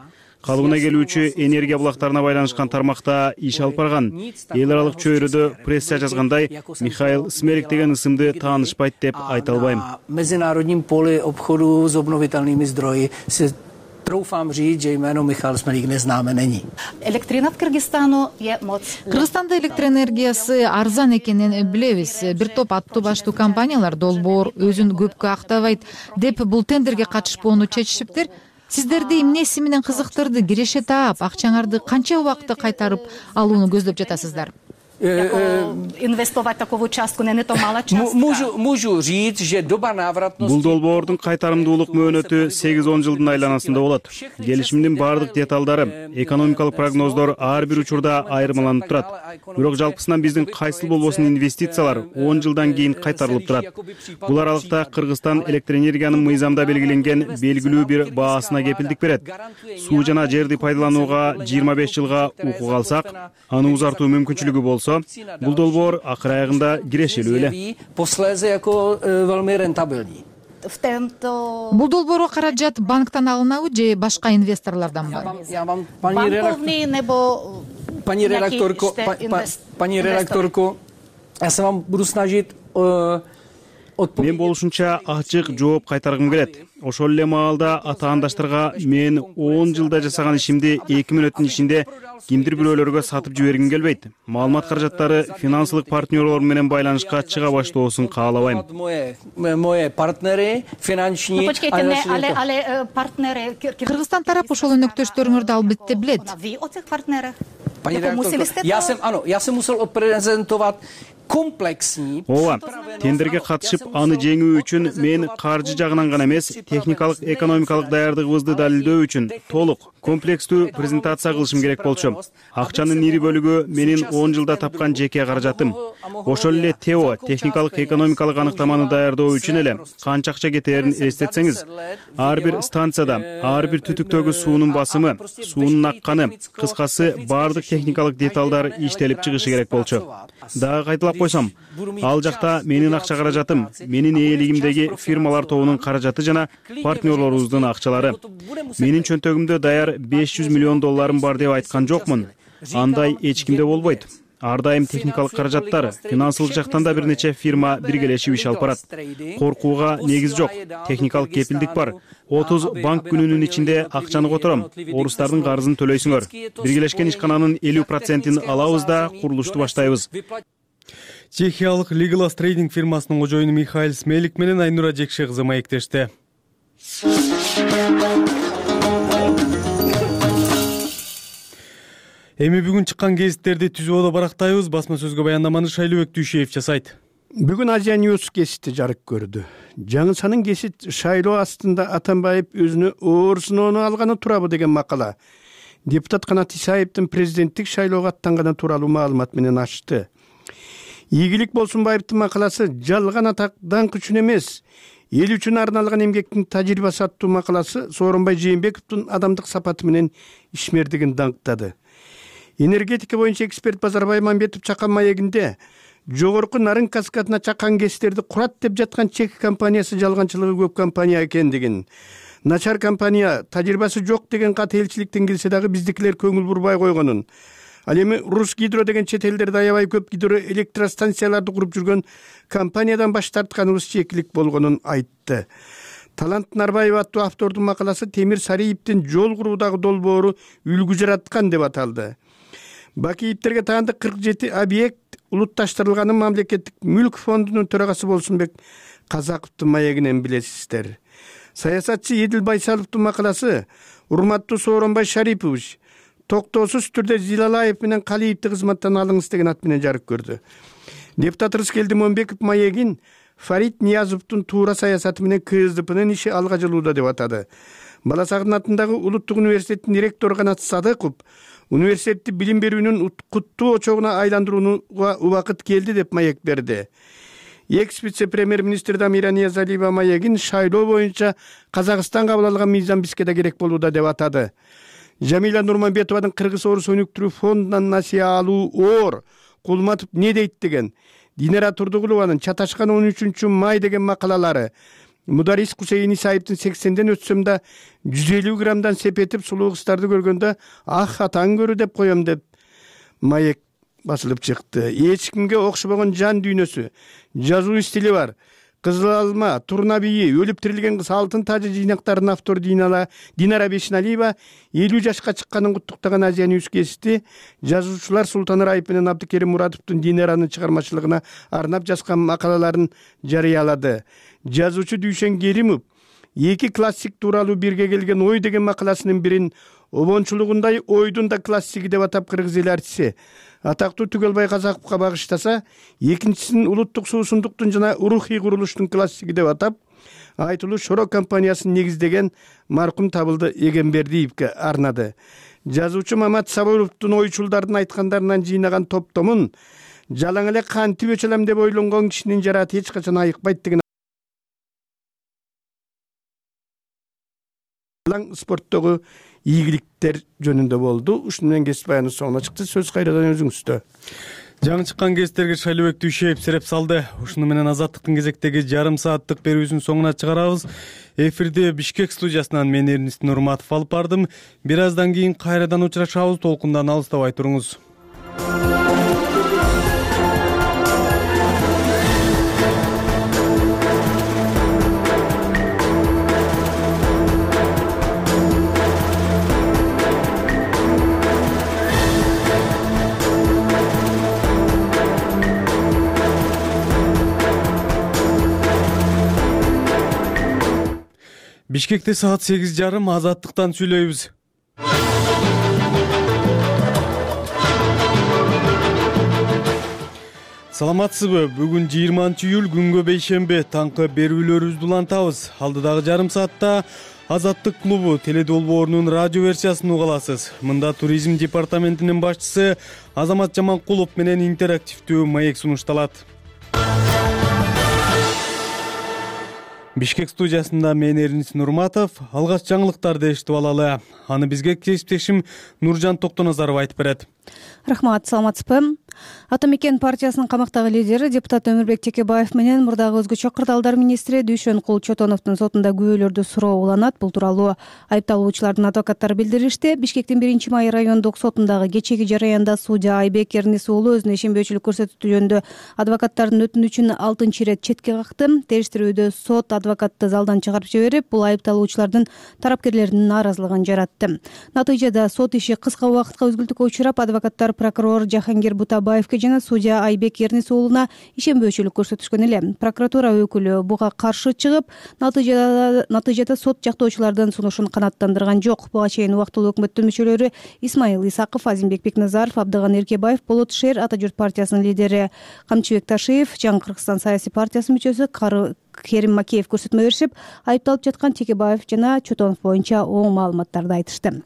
Калыбына келүүчү энергия булактарына байланышкан тармакта иш алып барган. Эл аралык чөйрөдө пресса жазгандай, Михаил Смелик деген ысымды таанышпайт деп айта албайм. Меѓународним поле обходу с обновителними здрои Troufám říct, že jméno Michal Smelík neznáme není. Elektrina v Kyrgyzstanu je moc. Кыргызстанда электроэнергиясы арзан экенин билебиз. Бир топ аттуу баштуу компаниялар долбоор өзүн көпкө актабайт деп бул тендерге катышпоону чечишиптир. Сиздерди эмнеси менен кызыктырды? Киреше таап, акчаңарды канча убакытта кайтарып алууну көздөп жатасыздар? inwestować taką cząstkę, nie to mała cząstka. Můžu říct, že doba návratnosti. Бул долбоордун кайтарымдуулук мөөнөтү сегиз он жылдын айланасында болот. Келишимдин баардык деталдары, экономикалык прогноздор ар бир учурда айырмаланып турат. Бирок жалпысынан биздин кайсыл болбосун инвестициялар он жылдан кийин кайтарылып турат. Бул аралыкта Кыргызстан электр энергиянын мыйзамда белгиленген белгилүү бир баасына кепилдик берет. Суу жана жерди пайдаланууга жыйырма беш жылга укук алсак, аны узартуу мүмкүнчүлүгү болсо, бул долбоор акыр аягында кирешелүү эле. Бул долбоорго каражат банктан алынабы же башка инвесторлорданбы? Bankovní nebo Paní redaktorko, paní redaktorko, я se вам буду snažit Мен болушунча ачык жооп кайтаргым келет. Ошол эле маалда атаандаштарга мен он жылда жасаган ишимди эки мүнөттүн ичинде кимдир бирөөлөргө сатып жибергим келбейт. Маалымат каражаттары финансылык партнерлор менен байланышка чыга баштоосун каалабайм. Кыргызстан тарап ошол өнөктөштөрүңөрдү албетте билет. Я се musel odprezentovat komplексный. Ооба, тендерге катышып, аны жеңүү үчүн мен каржы жагынан гана эмес, техникалык, экономикалык даярдыгыбызды далилдөө үчүн толук, комплекстүү презентация кылышым керек болчу. Акчанын ири бөлүгү менин он жылда тапкан жеке каражатым. Ошол эле ТЭО, техникалык, экономикалык аныктаманы даярдоо үчүн эле канча акча кетерин эстетсеңиз, ар бир станцияда, ар бир түтүктөгү суунун басымы, суунун акканы, кыскасы баардык техникалык деталдар иштелип чыгышы керек болчу. Дагы кайталап койсом, ал жакта менин акча каражатым, менин ээлигимдеги фирмалар тобунун каражаты жана партнерлорубуздун акчалары. Менин чөнтөгүмдө даяр беш жүз миллион долларым бар деп айткан жокмун. Андай эч кимде болбойт. Ар дайым техникалык каражаттар, финансылык жактан да бир нече фирма биргелешип иш алып барат. Коркууга негиз жок, техникалык кепилдик бар. отуз банк күнүнүн ичинде акчаны котором, орустардын карызын төлөйсүңөр. Биргелешкен ишкананын элүү процентин алабыз да курулушту баштайбыз. Чехиялык Legolas Trading фирмасынын кожоюну Михаил Смелик менен Айнура Жекше кызы маектешти. Эми бүгүн чыккан гезиттерди түзүүдө барактайбыз. Басма сөзгө баяндаманы Шайлыбек Дүйшеев жасайт. Бүгүн Азия News гезити жарык көрдү. Жаңысанын гезит шайлоо астында Атамбаев өзүнө оор сыноону алганы турабы деген макала. Депутат Канат Исаевдин президенттик шайлоого аттанганы тууралуу маалымат менен ачты. Ийгилик Болсунбаевдин макаласы жалган атак даңк үчүн эмес, эл үчүн арналган эмгектин тажрыйбасы аттуу макаласы Сооронбай Жээнбековдун адамдык сапаты менен ишмердигин даңктады. Энергетика боюнча эксперт Базарбай Мамбетов чакан маегинде жогорку нарын каскадына чакан гэстерди курат деп жаткан чек компаниясы жалганчылыгы көп компания экендигин, начар компания, тажрыйбасы жок деген кат элчиликтен келсе дагы биздикилер көңүл бурбай койгонун, ал эми Рус Гидро деген чет элдерде аябай көп гидро электростанцияларды куруп жүргөн компаниядан баш тартканыбыз чекилик болгонун айтты. Талант Нарбаева аттуу автордун макаласы Темир Сариевдин жол куруудагы долбоору үлгү жараткан деп аталды. Бакиевтерге таандык кырк жети объект улутташтырылганын мамлекеттик мүлк фондунун төрагасы Болсунбек Казаковдун маегинен билесиздер. Саясатчы Едил Байсаловдун макаласы урматтуу Сооронбай Шарипович токтоосуз түрдө Зилалаев менен Калиевди кызматтан алыңыз деген ат менен жарык көрдү. Депутат Рыскелди Момбеков маегин Фарид Ниязовдун туура саясаты менен КСДПнын иши алга жылууда деп атады. Бала Сагындын атындагы Улуттук университеттин ректору Канат Садыков университетти билим берүүнүн куттуу очогуна айландырууга убакыт келди деп маек берди. Экс вице-премьер-министр Дамира Ниязалиева маегин шайлоо боюнча Казакстан кабыл алган мыйзам бизге да керек болууда деп атады. Жамиля Нурманбетованын Кыргыз орус өнүктүрүү фондунан насыя алуу оор, Кулматов не дейт деген, Динара Турдугулованын Чаташкан он үчүнчү май деген макалалары, Мударис Кусейин Исаевдин сексенден өтсөм да жүз элүү граммдан сепетип сулуу кыздарды көргөндө ах атаң көрү деп коем деп маек басылып чыкты. Эч кимге окшобогон жан дүйнөсү, жазуу стили бар. Кызыл алма, турна бийи, өлүп тирилген кыз алтын тажы жыйнактарынын автору Динара Бешиналиева элүү жашка чыкканын куттуктаган Азия News гезити жазуучулар Султан Раев менен Абдыкерим Муратовдун Динаранын чыгармачылыгына арнап жазган макалаларын жарыялады. Жазуучу Дүйшен Керимов эки классик тууралуу бирге келген ой деген макаласынын бирин обончулугундай ойдун да классиги деп атап кыргыз эл артисти атактуу Түгөлбай Казаковго багыштаса, экинчисин улуттук суусундуктун жана рухий курулуштун классиги деп атап айтылуу Шоро компаниясын негиздеген маркум Табылды Эгембердиевге арнады. Жазуучу Мамат Сабыровдун ойчулдардын айткандарынан жыйнаган топтомун жалаң эле кантип өчөлөм деп ойлонгон кишинин жараты эч качан айыкпайт деген спорттогу ийгиликтер жөнүндө болду. Ушуну менен кесип баяны соңуна чыкты. Сөз кайрадан өзүңүздө. Жаңы чыккан кестерге Шайлообек Дүйшеев сереп салды. Ушуну менен Азаттыктын кезектеги жарым сааттык берүүсүн соңуна чыгарабыз. Эфирде Бишкек студиясынан мен Эрнис Нурматов алып бардым. Бир аздан кийин кайрадан учурашабыз. Толкундан алыстабай туруңуз. Бишкекте саат сегиз жарым Азаттыктан сүйлөйбүз. Саламатсызбы? Бүгүн жыйырманчы июль күнгө бейшембе таңкы берүүлөрүбүздү улантабыз. Алдыдагы жарым саатта Азаттык клубу теледолбоорунун радио версиясын уга аласыз. Мында туризм департаментинин башчысы Азамат Жаманкулов менен интерактивдүү маек сунушталат. Бишкек студиясында мен Эрнис Нурматов. Алгач жаңылыктарды эшитип алалы. Аны бизге кесиптешим Нуржан Токтоназаров айтып берет. Рахмат, саламатсызбы? Ата мекен партиясынын камактагы лидери депутат Өмүрбек Текебаев менен мурдагы өзгөчө кырдаалдар министри Дүйшөнкул Чотоновдун сотунда күбөлөрдү суроо уланат. Бул тууралуу айыпталуучулардын адвокаттары билдиришти. Бишкектин биринчи май райондук сотундагы кечеги жараянда судья Айбек Эрнис уулу өзүнө ишенбөөчүлүк көрсөтүү жөнүндө адвокаттардын өтүнүчүн алтынчы ирет четке какты. Териштирүүдө сот адвокатты залдан чыгарып жиберип, бул айыпталуучулардын тарапкерлеринин нааразылыгын жаратты. Натыйжада сот иши кыска убакытка үзгүлтүккө учурап, адвокаттар прокурор Жахангир Бутабаевке жана судья Айбек Эрнис уулуна ишенбөөчүлүк көрсөтүшкөн эле. Прокуратура өкүлү буга каршы чыгып, натыйжада натыйжада сот жактоочулардын сунушун канааттандырган жок. Буга чейин убактылуу өкмөттүн мүчөлөрү Исмаил Исаков, Азимбек Бекназаров, Абдыган Эркебаев, Болот Шер, Ата журт партиясынын лидери Камчыбек Ташиев, Жаңы Кыргызстан саясий партиясынын мүчөсү Керим Макеев көрсөтмө беришип, айыпталып жаткан Текебаев жана Чотонов боюнча оң маалыматтарды айтышты.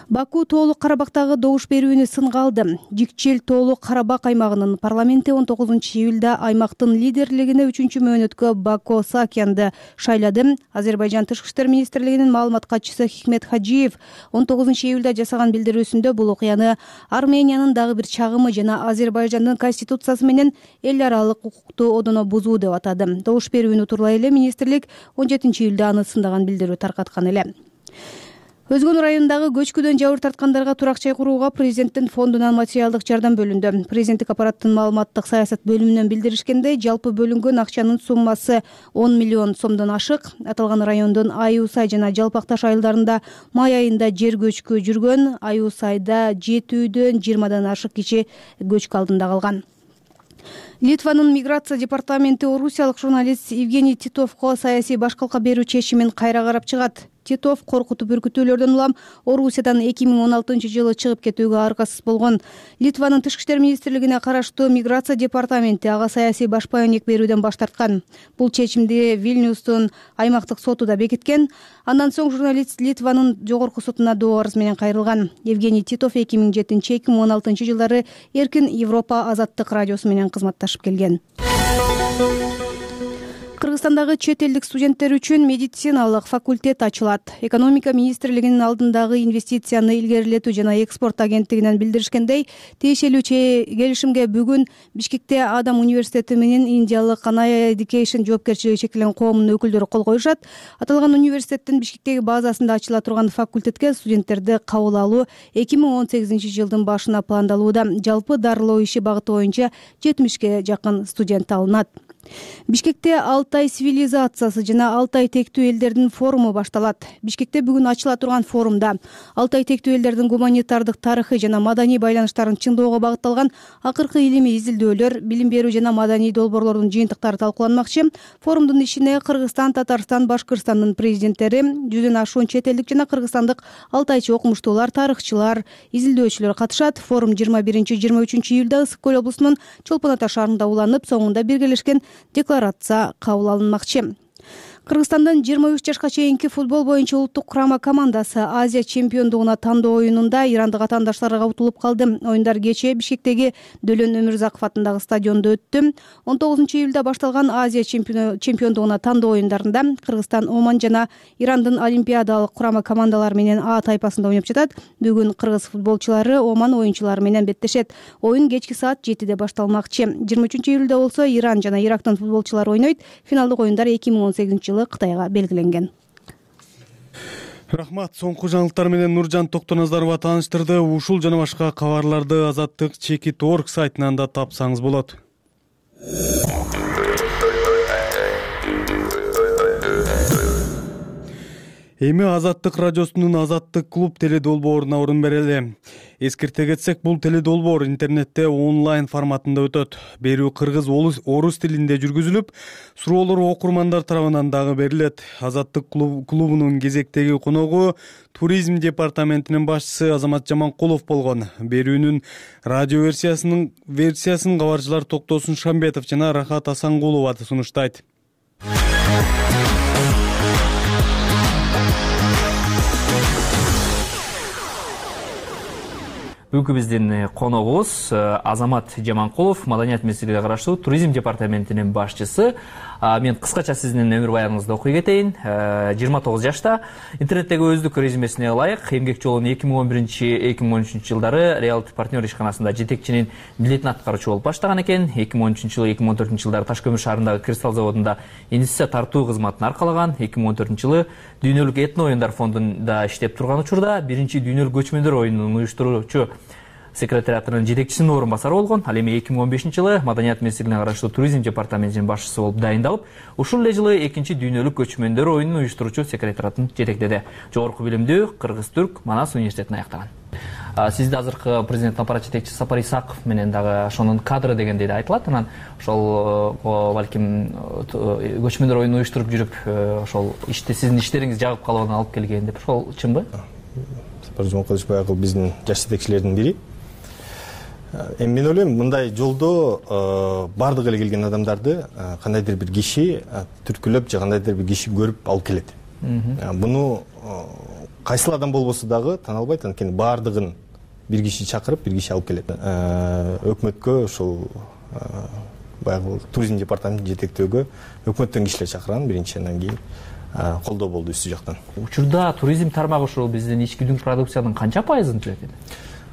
Баку Тоолук Карабактагы добуш берүүнү сынга алды. Жикчил Тоолук Карабак аймагынын парламенти он тогузунчу июлда аймактын лидерлигине үчүнчү мөөнөткө Бако Саакянды шайлады. Азербайжан Тышкы иштер министрлигинин маалымат катчысы Хикмет Хаджиев он тогузунчу июлда жасаган билдирүүсүндө бул окуяны Армениянын дагы бир чагымы жана Азербайжандын конституциясы менен эл аралык укукту одоно бузуу деп атады. Добуш берүүнү тууралай эле министрлик он жетинчи июлда аны сындаган билдирүү таркаткан эле. Өзгөн районундагы көчкүдөн жабыр тарткандарга турак жай курууга президенттин фондунан материалдык жардам бөлүндү. Президенттик аппараттын маалыматтык саясат бөлүмүнөн билдиришкендей, жалпы бөлүнгөн акчанын суммасы он миллион сомдон ашык. Аталган райондун Айуу Сай жана Жалпак Таш айылдарында май айында жер көчкү жүргөн. Айуу Сайда жети үйдөн жыйырмадан ашык киши көчкү алдында калган. Литванын миграция департаменти орусиялык журналист Евгений Титовго саясий башкалка берүү чечимин кайра карап чыгат. Титов коркутуп үркүтүүлөрдөн улам Орусиядан эки миң он алтынчы жылы чыгып кетүүгө аргасыз болгон. Литванын Тышкы иштер министрлигине караштуу миграция департаменти ага саясий баш баянек берүүдөн баш тарткан. Бул чечимди Вильнюстун аймактык соту да бекиткен. Андан соң журналист Литванын жогорку сотуна доо арыз менен кайрылган. Евгений Титов эки миң жетинчи эки миң он алтынчы жылдары Эркин Европа Азаттык радиосу менен кызматташып келген. Кыргызстандагы чет элдик студенттер үчүн медициналык факультет ачылат. Экономика министрлигинин алдындагы инвестицияны илгерилетүү жана экспорт агенттигинен билдиришкендей, тиешелүү келишимге бүгүн Бишкекте Адам университети менен индиялык Anaya Education жоопкерчилиги чектелген коомунун өкүлдөрү кол коюшат. Аталган университеттин Бишкектеги базасында ачыла турган факультетке студенттерди кабыл алуу эки миң он сегизинчи жылдын башына пландалууда. Жалпы дарылоо иши багыты боюнча жетимишке жакын студент алынат. Бишкекте Алтай цивилизациясы жана Алтай тектүү элдердин форуму башталат. Бишкекте бүгүн ачыла турган форумда Алтай тектүү элдердин гуманитардык тарыхый жана маданий байланыштарын чыңдоого багытталган акыркы илимий изилдөөлөр, билим берүү жана маданий долбоорлордун жыйынтыктары талкууланмакчы. Форумдун ишине Кыргызстан, Татарстан, Башкырстандын президенттери, жүздөн ашуун чет элдик жана кыргызстандык алтайчы окумуштуулар, тарыхчылар, изилдөөчүлөр катышат. Форум жыйырма биринчи жыйырма үчүнчү июлда Ысык көл облусунун Чолпон Ата шаарында уланып, соңунда биргелешкен декларация кабыл алынмакчы. Кыргызстандын жыйырма үч жашка чейинки футбол боюнча улуттук курама командасы Азия чемпиондугуна тандоо оюнунда ирандык атаандаштарга утулуп калды. Оюндар кечээ Бишкектеги Дөлөн Өмүрзаков атындагы стадиондо өттү. он тогузунчу июлда башталган Азия чемпиондугуна тандоо оюндарында Кыргызстан, Оман жана Ирандын олимпиадалык курама командалары менен А тайпасында ойноп жатат. Бүгүн кыргыз футболчулары Оман оюнчулары менен беттешет. Оюн кечки саат жетиде башталмакчы. жыйырма үчүнчү июлда болсо Иран жана Ирактын футболчулары ойнойт. Финалдык оюндар эки миң он сегизинчи жылы Кытайга белгиленген. Рахмат. Соңку жаңылыктар менен Нуржан Токтоназарова тааныштырды. Ушул жана башка кабарларды Азаттык Чекит точка орг сайтынан да тапсаңыз болот. Эми Азаттык радиосунун Азаттык клуб теледолбооруна орун берели. Эскерте кетсек, бул теледолбоор интернетте онлайн форматында өтөт. Берүү кыргыз, орус тилинде жүргүзүлүп, суроолор окурмандар тарабынан дагы берилет. Азаттык клубунун кезектеги коногу туризм департаментинин башчысы Азамат Жаманкулов болгон. Берүүнүн радио версиясынын версиясын кабарчылар Токтосун Шамбетов жана Рахат Асангулова сунуштайт. Бүгүнкү биздин коногубуз Азамат Жаманкулов, маданият министрлигине караштуу туризм департаментинин башчысы. Мен кыскача сиздин өмүр баяныңызды окуй кетейин. жыйырма тогуз жашта интернеттеги өздүк резюмесине ылайык эмгек жолун эки миң он биринчи эки миң он үчүнчү жылдары Реалти партнер ишканасында жетекчинин милдетин аткаруучу болуп баштаган экен. эки миң он үчүнчү жылы эки миң он төртүнчү жылдары Таш көмүр шаарындагы кристалл заводунда инвестиция тартуу кызматын аркалаган. эки миң он төртүнчү жылы дүйнөлүк этно оюндар фондунда иштеп турган учурда биринчи дүйнөлүк көчмөндөр оюнунун уюштуруучу секретариатынын жетекчисинин орун басары болгон. Ал эми эки миң он бешинчи жылы маданият министрлигине караштуу туризм департаментинин башчысы болуп дайындалып, ушул эле жылы экинчи дүйнөлүк көчмөндөр оюнун уюштуруучу секретариатын жетектеди. Жогорку билимдүү Кыргыз-Түрк Манас университетин аяктаган. Сизди азыркы президенттин аппарат жетекчиси Сапар Исаков менен дагы ошонун кадры дегендей да айтылат. Анан ошол балким көчмөндөр оюнун уюштуруп жүрүп, ошол иште сиздин иштериңиз жагып калыбына алып келген деп, ошол чынбы? Сапар Жомокадович баягы биздин жаш жетекчилердин бири. Эми мен ойлойм, мындай жолдо бардык эле келген адамдарды кандайдыр бир киши түркүлөп же кандайдыр бир киши көрүп алып келет. Буну кайсыл адам болбосо дагы тана албайт, анткени бардыгын бир киши чакырып, бир киши алып келет. Өкмөткө ушул баягы туризм департаментин жетектөөгө өкмөттөн кишилер чакырган биринчи, андан кийин колдоо болду үстү жактан. Учурда туризм тармагы ушул биздин ички дүң продукциянын канча пайызын түзөт эми?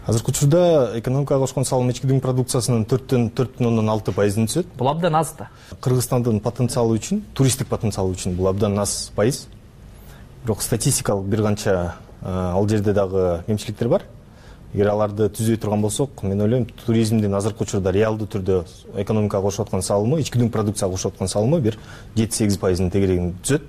Азыркы учурда экономикага кошкон салым ички дүң продукциясынын төрттөн төрт бүтүн ондон алты пайызын түзөт. Бул абдан аз да. Кыргызстандын потенциалы үчүн, туристтик потенциалы үчүн бул абдан аз пайыз. Бирок статистикалык бир канча ал жерде дагы кемчиликтер бар. Эгер аларды түзөй турган болсок, мен ойлойм, туризмдин азыркы учурда реалдуу түрдө экономикага кошуп аткан салымы, ички дүң продукцияга кошуп аткан салымы бир жети сегиз пайыздын тегерегин түзөт.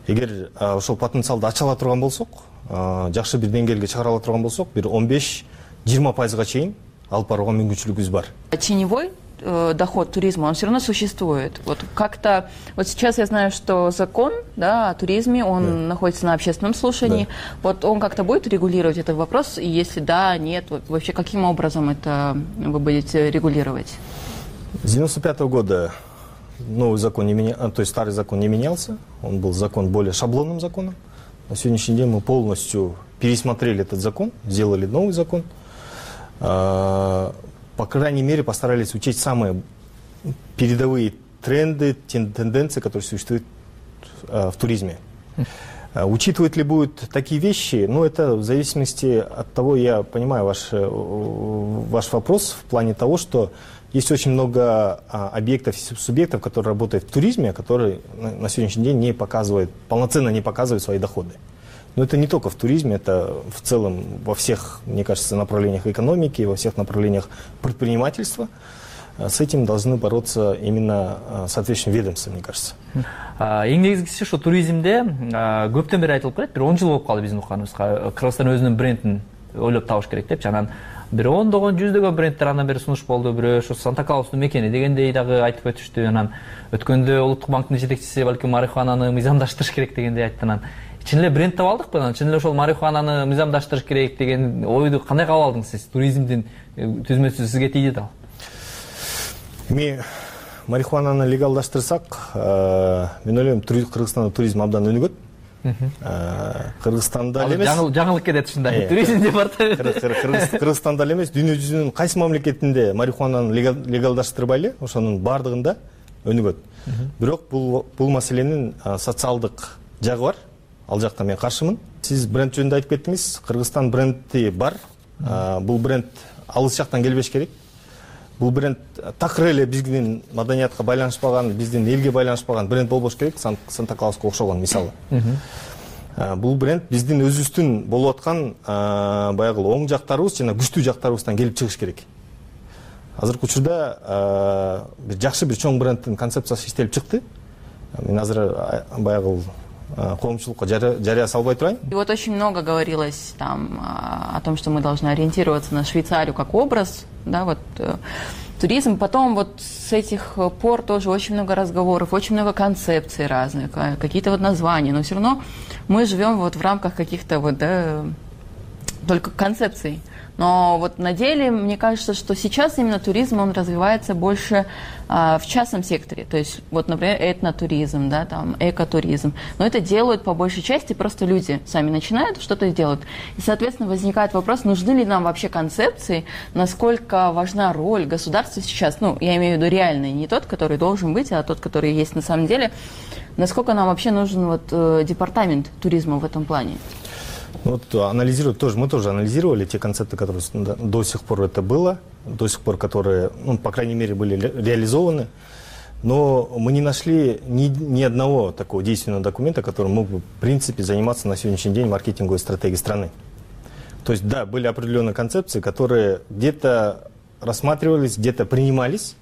Эгер ошол потенциалды ача ала турган болсок, жакшы бир деңгээлге чыгара ала турган болсок, бир он беш жыйырма пайызга чейин алып барууга мүмкүнчүлүгүбүз бар. Теневой э, доход туризма, он все равно существует. Вот как-то, вот сейчас я знаю, что закон, да, о туризме, он да. находится на общественном слушании. Да. Вот он как-то будет регулировать этот вопрос, и если да, нет, вот, вообще каким образом это вы будете регулировать? С девяносто пятого года новый закон не менялся, то есть старый закон не менялся, он был закон более шаблонным законом. На сегодняшний день мы полностью пересмотрели этот закон, сделали новый закон. По крайней мере, постарались учесть самые передовые тренды, тенденции, которые существуют в туризме. Учитывать ли будут такие вещи? Ну, это в зависимости от того, я понимаю ваш, ваш вопрос в плане того, что есть очень много объектов и субъектов, которые работают в туризме, которые на сегодняшний день не показывают, полноценно не показывают свои доходы. Но это не только в туризме, это в целом во всех, мне кажется, направлениях экономики, во всех направлениях предпринимательства. с этим должны бороться именно соответствующие ведомства, мне кажется. Эң негизгиси ушу туризмде көптөн бери айтылып келет, бир он жыл болуп калды биздин укканыбызга. Кыргызстан өзүнүн брендин ойлоп табыш керек депчи. Анан бир ондогон, жүздөгөн брендтер андан бери сунуш болду. Бирөө ушу Санта Клаустун мекени дегендей дагы айтып өтүштү. Анан өткөндө Улуттук банктын жетекчиси балким марихуананы мыйзамдаштырыш керек дегендей айтты. Анан чын эле бренд таап алдыкпы? Анан чын эле ошол марихуананы мыйзамдаштырыш керек деген ойду кандай кабыл алдыңыз сиз? Туризмдин түзмөсү сизге тийди да? Эми марихуананы легалдаштырсак, мен ойлойм, Кыргызстанда туризм абдан өнүгөт. Кыргызстанда эле эмес. Жаңылык кетет ушундай. Туризм департаменти Кыргызстанда эле эмес, дүйнө жүзүнүн кайсы мамлекетинде марихуананы легалдаштырбай эле ошонун бардыгында өнүгөт. Бирок бул бул маселенин социалдык жагы бар. Ал жакта мен каршымын. Сиз бренд жөнүндө айтып кеттиңиз. Кыргызстан бренди бар. Бул бренд алыс жактан келбеш керек. Бул бренд такыр эле биздин маданиятка байланышпаган, биздин элге байланышпаган бренд болбош керек. Санта Клауска окшогон мисалы. Бул бренд биздин өзүбүздүн болуп аткан баягы оң жактарыбыз жана күчтүү жактарыбыздан келип чыгыш керек. Азыркы учурда бир жакшы бир чоң бренддин концепциясы иштелип чыкты. Мен азыр баягы коомчулукка жарыя салбай турайын. И вот очень много говорилось там о том, что мы должны ориентироваться на Швейцарию как образ, да, вот туризм. Потом вот с этих пор тоже очень много разговоров, очень много концепций разных, какие-то вот названия, но все равно мы живем вот в рамках каких-то вот, да, только концепций. Но вот на деле, мне кажется, что сейчас именно туризм, он развивается больше а, в частном секторе. То есть, вот, например, этнотуризм, да, там, экотуризм. Но это делают по большей части просто люди сами начинают, что-то делают. И, соответственно, возникает вопрос, нужны ли нам вообще концепции, насколько важна роль государства сейчас. Ну, я имею в виду реальный, не тот, который должен быть, а тот, который есть на самом деле. Насколько нам вообще нужен вот, э, департамент туризма в этом плане? Вот анализировать тоже, мы тоже анализировали те концепты, которые до сих пор это было, до сих пор, которые, ну, по крайней мере, были реализованы, но мы не нашли ни, ни одного такого действенного документа, который мог бы, в принципе, заниматься на сегодняшний день маркетинговой стратегией страны. То есть, да, были определенные концепции, которые где-то рассматривались, где-то принимались,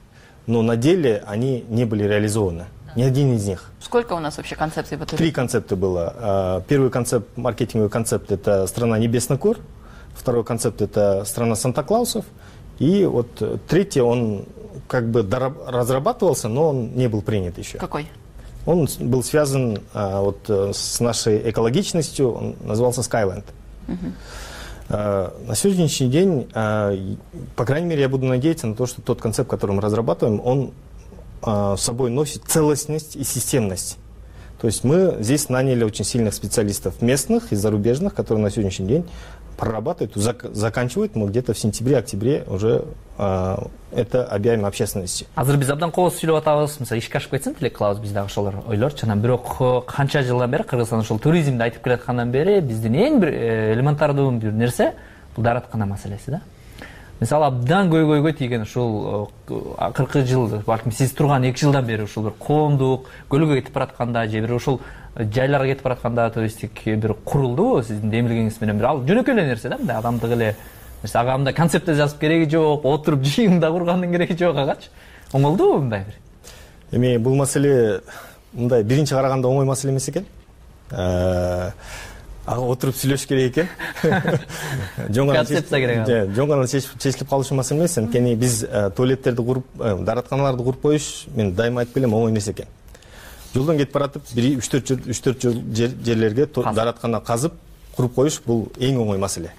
но на деле они не были реализованы. Ни один из них. Сколько у нас вообще концепций в этом? Три концепта было. Первый концепт, маркетинговый концепт, это страна небесных гор. Второй концепт, это страна Санта-Клаусов. И вот третий, он как бы разрабатывался, но он не был принят еще. Какой? Он был связан вот с нашей экологичностью, он назывался Skyland. Угу. На сегодняшний день, по крайней мере, я буду надеяться на то, что тот концепт, который мы разрабатываем, он с собой носит целостность и системность. То есть мы здесь наняли очень сильных специалистов местных и зарубежных, которые на сегодняшний день прорабатывают, зак заканчивают. Мы где-то в сентябре-октябре уже э, это объявим общественности. Азыр биз абдан кооз сүйлөп атабыз. Мисалы ишке ашып кетсин тилеккылабыз биз дагы ошолор ойлор. Жана бирок канча жылдан бери Кыргызстан ошол туризмди айтып келаткандан бери биздин эң бир элементардуу бир нерсе бул даараткана маселеси да. Мисалы абдан көйгөйгө тийген ушул акыркы жыл, балким сиз турган эки жылдан бери ушул бир коомдук көлгө кетип баратканда же бир ушул жайларга кетип баратканда туристтик бир курулдубу сиздин демилгеңиз менен? Бир ал жөнөкөй эле нерсе да, мындай адамдык эле нерсе. Ага мындай концепт жазып кереги жок, отуруп жыйында кургандын кереги жок агачы. Оңолдубу мындай бир? Эми бул маселе мындай биринчи караганда оңой маселе эмес экен. Ага отуруп сүйлөш керек экен. Концепция керек. Жөн гана чечилип калышы маселе эмес. Анткени биз туалеттерди куруп, дааратканаларды куруп коюш, мен дайыма айтып келем, оңой эмес экен. Жолдон кетип баратып, бир үч төрт жерлерге даараткана казып, куруп коюш бул эң оңой маселе.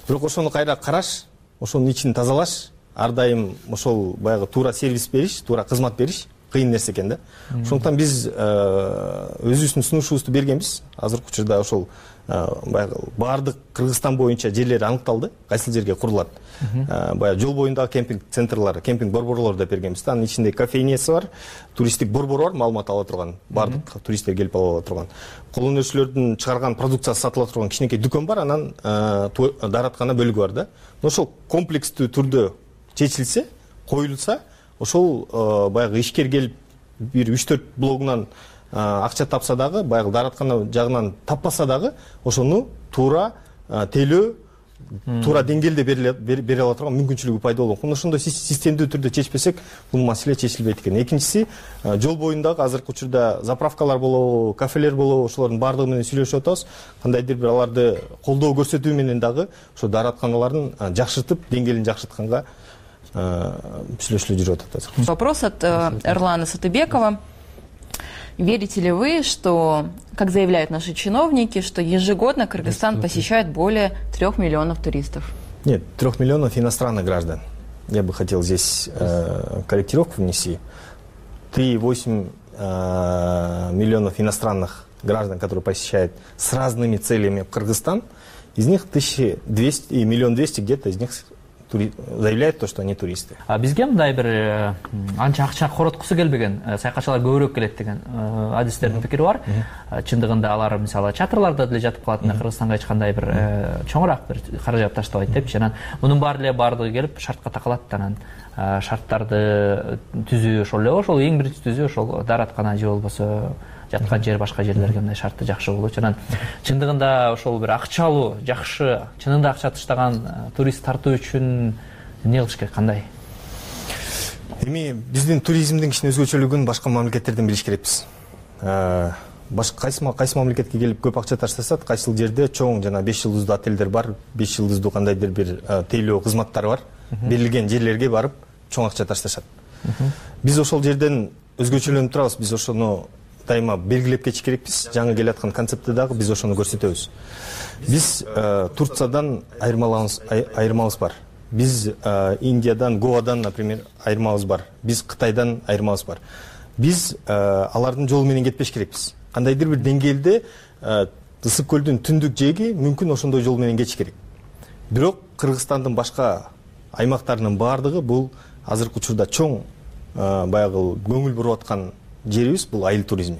Бирок ошону кайра караш, ошонун ичин тазалаш, ар дайым ошол баягы туура сервис бериш, туура кызмат бериш кыйын нерсе экен да. Ошондуктан биз өзүбүздүн сунушубузду бергенбиз. Азыркы учурда ошол баягы баардык Кыргызстан боюнча жерлер аныкталды, кайсыл жерге курулат. Баягы жол боюндагы кемпинг центрлары, кемпинг борборлорду да бергенбиз. Анын ичинде кафейнеси бар, туристтик борбор бар, маалымат ала турган, баардык туристтер келип ала турган. Кол өнөрчүлөрдүн чыгарган продукциясы сатыла турган кичинекей дүкөн бар, анан даараткана бөлүгү бар да. Ошол комплекстүү түрдө чечилсе, коюлса, ошол баягы ишкер келип бир үч төрт блогунан акча тапса дагы, баягы даараткана жагынан таппаса дагы, ошону туура тейлөө туура деңгээлде бере ала турган мүмкүнчүлүгү пайда болгон. Мына ошондой системдүү түрдө чечпесек, бул маселе чечилбейт экен. Экинчиси, жол боюндагы азыркы учурда заправкалар болобу, кафелер болобу, ошолордун баардыгы менен сүйлөшүп атабыз. Кандайдыр бир аларды колдоо көрсөтүү менен дагы ошо дааратканаларын жакшыртып, деңгээлин жакшыртканга сүйлөшүүлөр жүрүп атат азыр. Вопрос от Эрлана Сатыбекова. Верите ли вы, что, как заявляют наши чиновники, что ежегодно Кыргызстан посещает более трех миллионов туристов? Нет, трех миллионов иностранных граждан. Я бы хотел здесь э, корректировку внести. три и восемь э, миллионов иностранных граждан, которые посещают с разными целями Кыргызстан, из них тысяча двести и миллион двести где-то из них заявляют то, что они туристы. А бизге мындай бир анча акча короткусу келбеген саякатчылар көбүрөөк келет деген адистердин пикири бар. Чындыгында алар мисалы чатырларда деле жатып калат, Кыргызстанга эч кандай бир чоңураак бир каражат таштабайт деп, жана мунун баары эле баардыгы келип шартка такалат, анан шарттарды түзүү ошол эле, ошол эң биринчи түзүү ошол даараткана же болбосо жаткан жер, башка жерлерге мындай шарты жакшы болчу. Анан чындыгында ошол бир акчалуу, жакшы, чынында акча таштаган турист тартуу үчүн эмне кылыш керек, кандай? Эми биздин туризмдин кичине өзгөчөлүгүн башка мамлекеттерден билиш керекпиз. Башка кайсы кайсы мамлекетке келип көп акча таштасат, кайсыл жерде чоң жана беш жылдыздуу отелдер бар, беш жылдыздуу кандайдыр бир тейлөө кызматтар бар. Берилген жерлерге барып чоң акча ташташат. Биз ошол жерден өзгөчөлөнүп турабыз, биз ошону дайыма белгилеп кетиш керекпиз. Жаңы келе аткан концептте дагы биз ошону көрсөтөбүз. Биз Турциядан айырмабыз бар. Биз Индиядан, Гоадан, например, айырмабыз бар. Биз Кытайдан айырмабыз бар. Биз алардын жолу менен кетпеш керекпиз. Кандайдыр бир деңгээлде Ысык көлдүн түндүк жээги мүмкүн ошондой жол менен кетиш керек. Бирок Кыргызстандын башка аймактарынын баардыгы бул азыркы учурда чоң баягы көңүл буруп аткан жерибиз, бул айыл туризми.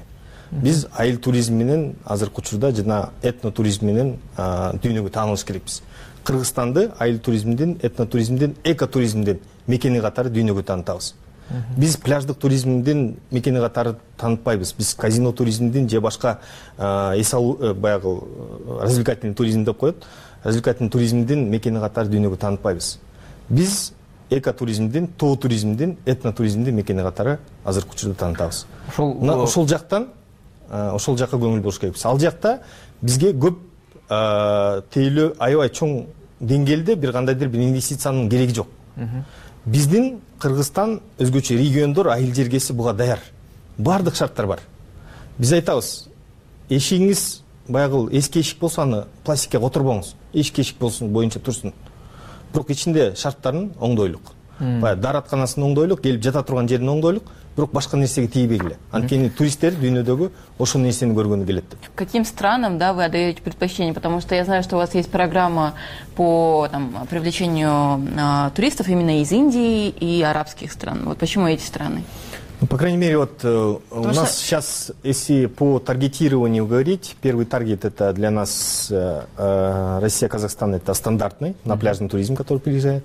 Биз айыл туризми менен азыркы учурда жана этно туризм менен дүйнөгө таанылыш керекпиз. Кыргызстанды айыл туризмдин, этно туризмдин, эко туризмдин мекени катары дүйнөгө таанытабыз. Биз пляждык туризмдин мекени катары таанытпайбыз. Биз казино туризмдин же башка эс алуу баягы развлекательный туризм деп коет. Развлекательный туризмдин мекени катары дүйнөгө таанытпайбыз. Биз эко туризмдин, тоо туризмдин, этно туризмдин мекени катары азыркы учурда таанытабыз. Ошол ошол жактан ошол жакка көңүл буруш керекпиз. Ал жакта бизге көп тейлөө аябай чоң деңгээлде бир кандайдыр бир инвестициянын кереги жок. Биздин Кыргызстан өзгөчө региондор, айыл жергеси буга даяр. Бардык шарттар бар. Биз айтабыз, эшигиңиз баягы эски эшик болсо аны пластикке которбоңуз. Эшик эшик болсун, боюнча турсун. Бирок ичинде шарттарын оңдойлук. Баягы дааратканасын оңдойлук, келип жата турган жерин оңдойлук, бирок башка нерсеге тийбегиле. Анткени туристтер дүйнөдөгү ошол нерсени көргөнү келет деп. Каким странам, да, вы отдаете предпочтение? Потому что я знаю, что у вас есть программа по там, привлечению а, туристов именно из Индии и арабских стран. Вот почему эти страны? Ну, по крайней мере, вот э, у нас что... сейчас, если по таргетированию говорить, первый таргет это для нас э, э, Россия, Казахстан, это стандартный на пляжный туризм, который приезжает.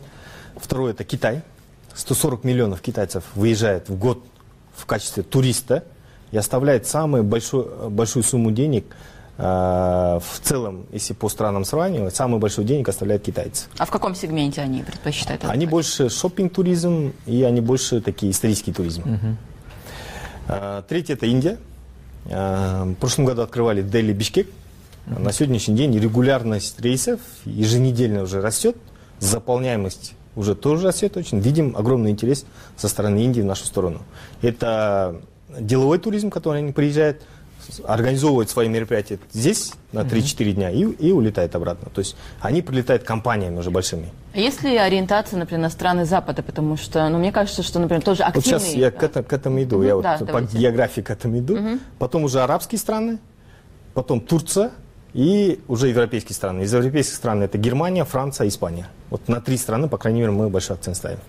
Второй это Китай. сто сорок миллионов китайцев выезжает в год в качестве туриста и оставляет самую большую, большую сумму денег э, в целом, если по странам сравнивать, самую большую денег оставляют китайцы. А в каком сегменте они предпочитают? Они больше шоппинг-туризм и они больше такие исторический туризм. Uh-huh. э, третье это Индия. Э, в прошлом году открывали Дели, Бишкек. Uh-huh. На сегодняшний день регулярность рейсов еженедельно уже растет, заполняемость уже тоже растет очень. Видим огромный интерес со стороны Индии в нашу сторону. Это деловой туризм, который они приезжают, организовывают свои мероприятия здесь на три-четыре дня и, и улетают обратно. То есть они прилетают компаниями уже большими. А есть ли ориентация, например, на страны Запада? Потому что, ну, мне кажется, что, например, тоже активные... Вот сейчас я к, это, к этому иду, mm-hmm. я да, вот давайте. По географии к этому иду. Mm-hmm. Потом уже арабские страны, потом Турция и уже европейские страны. Из европейских стран это Германия, Франция, Испания. Вот на три страны, по крайней мере, мы большой акцент ставим.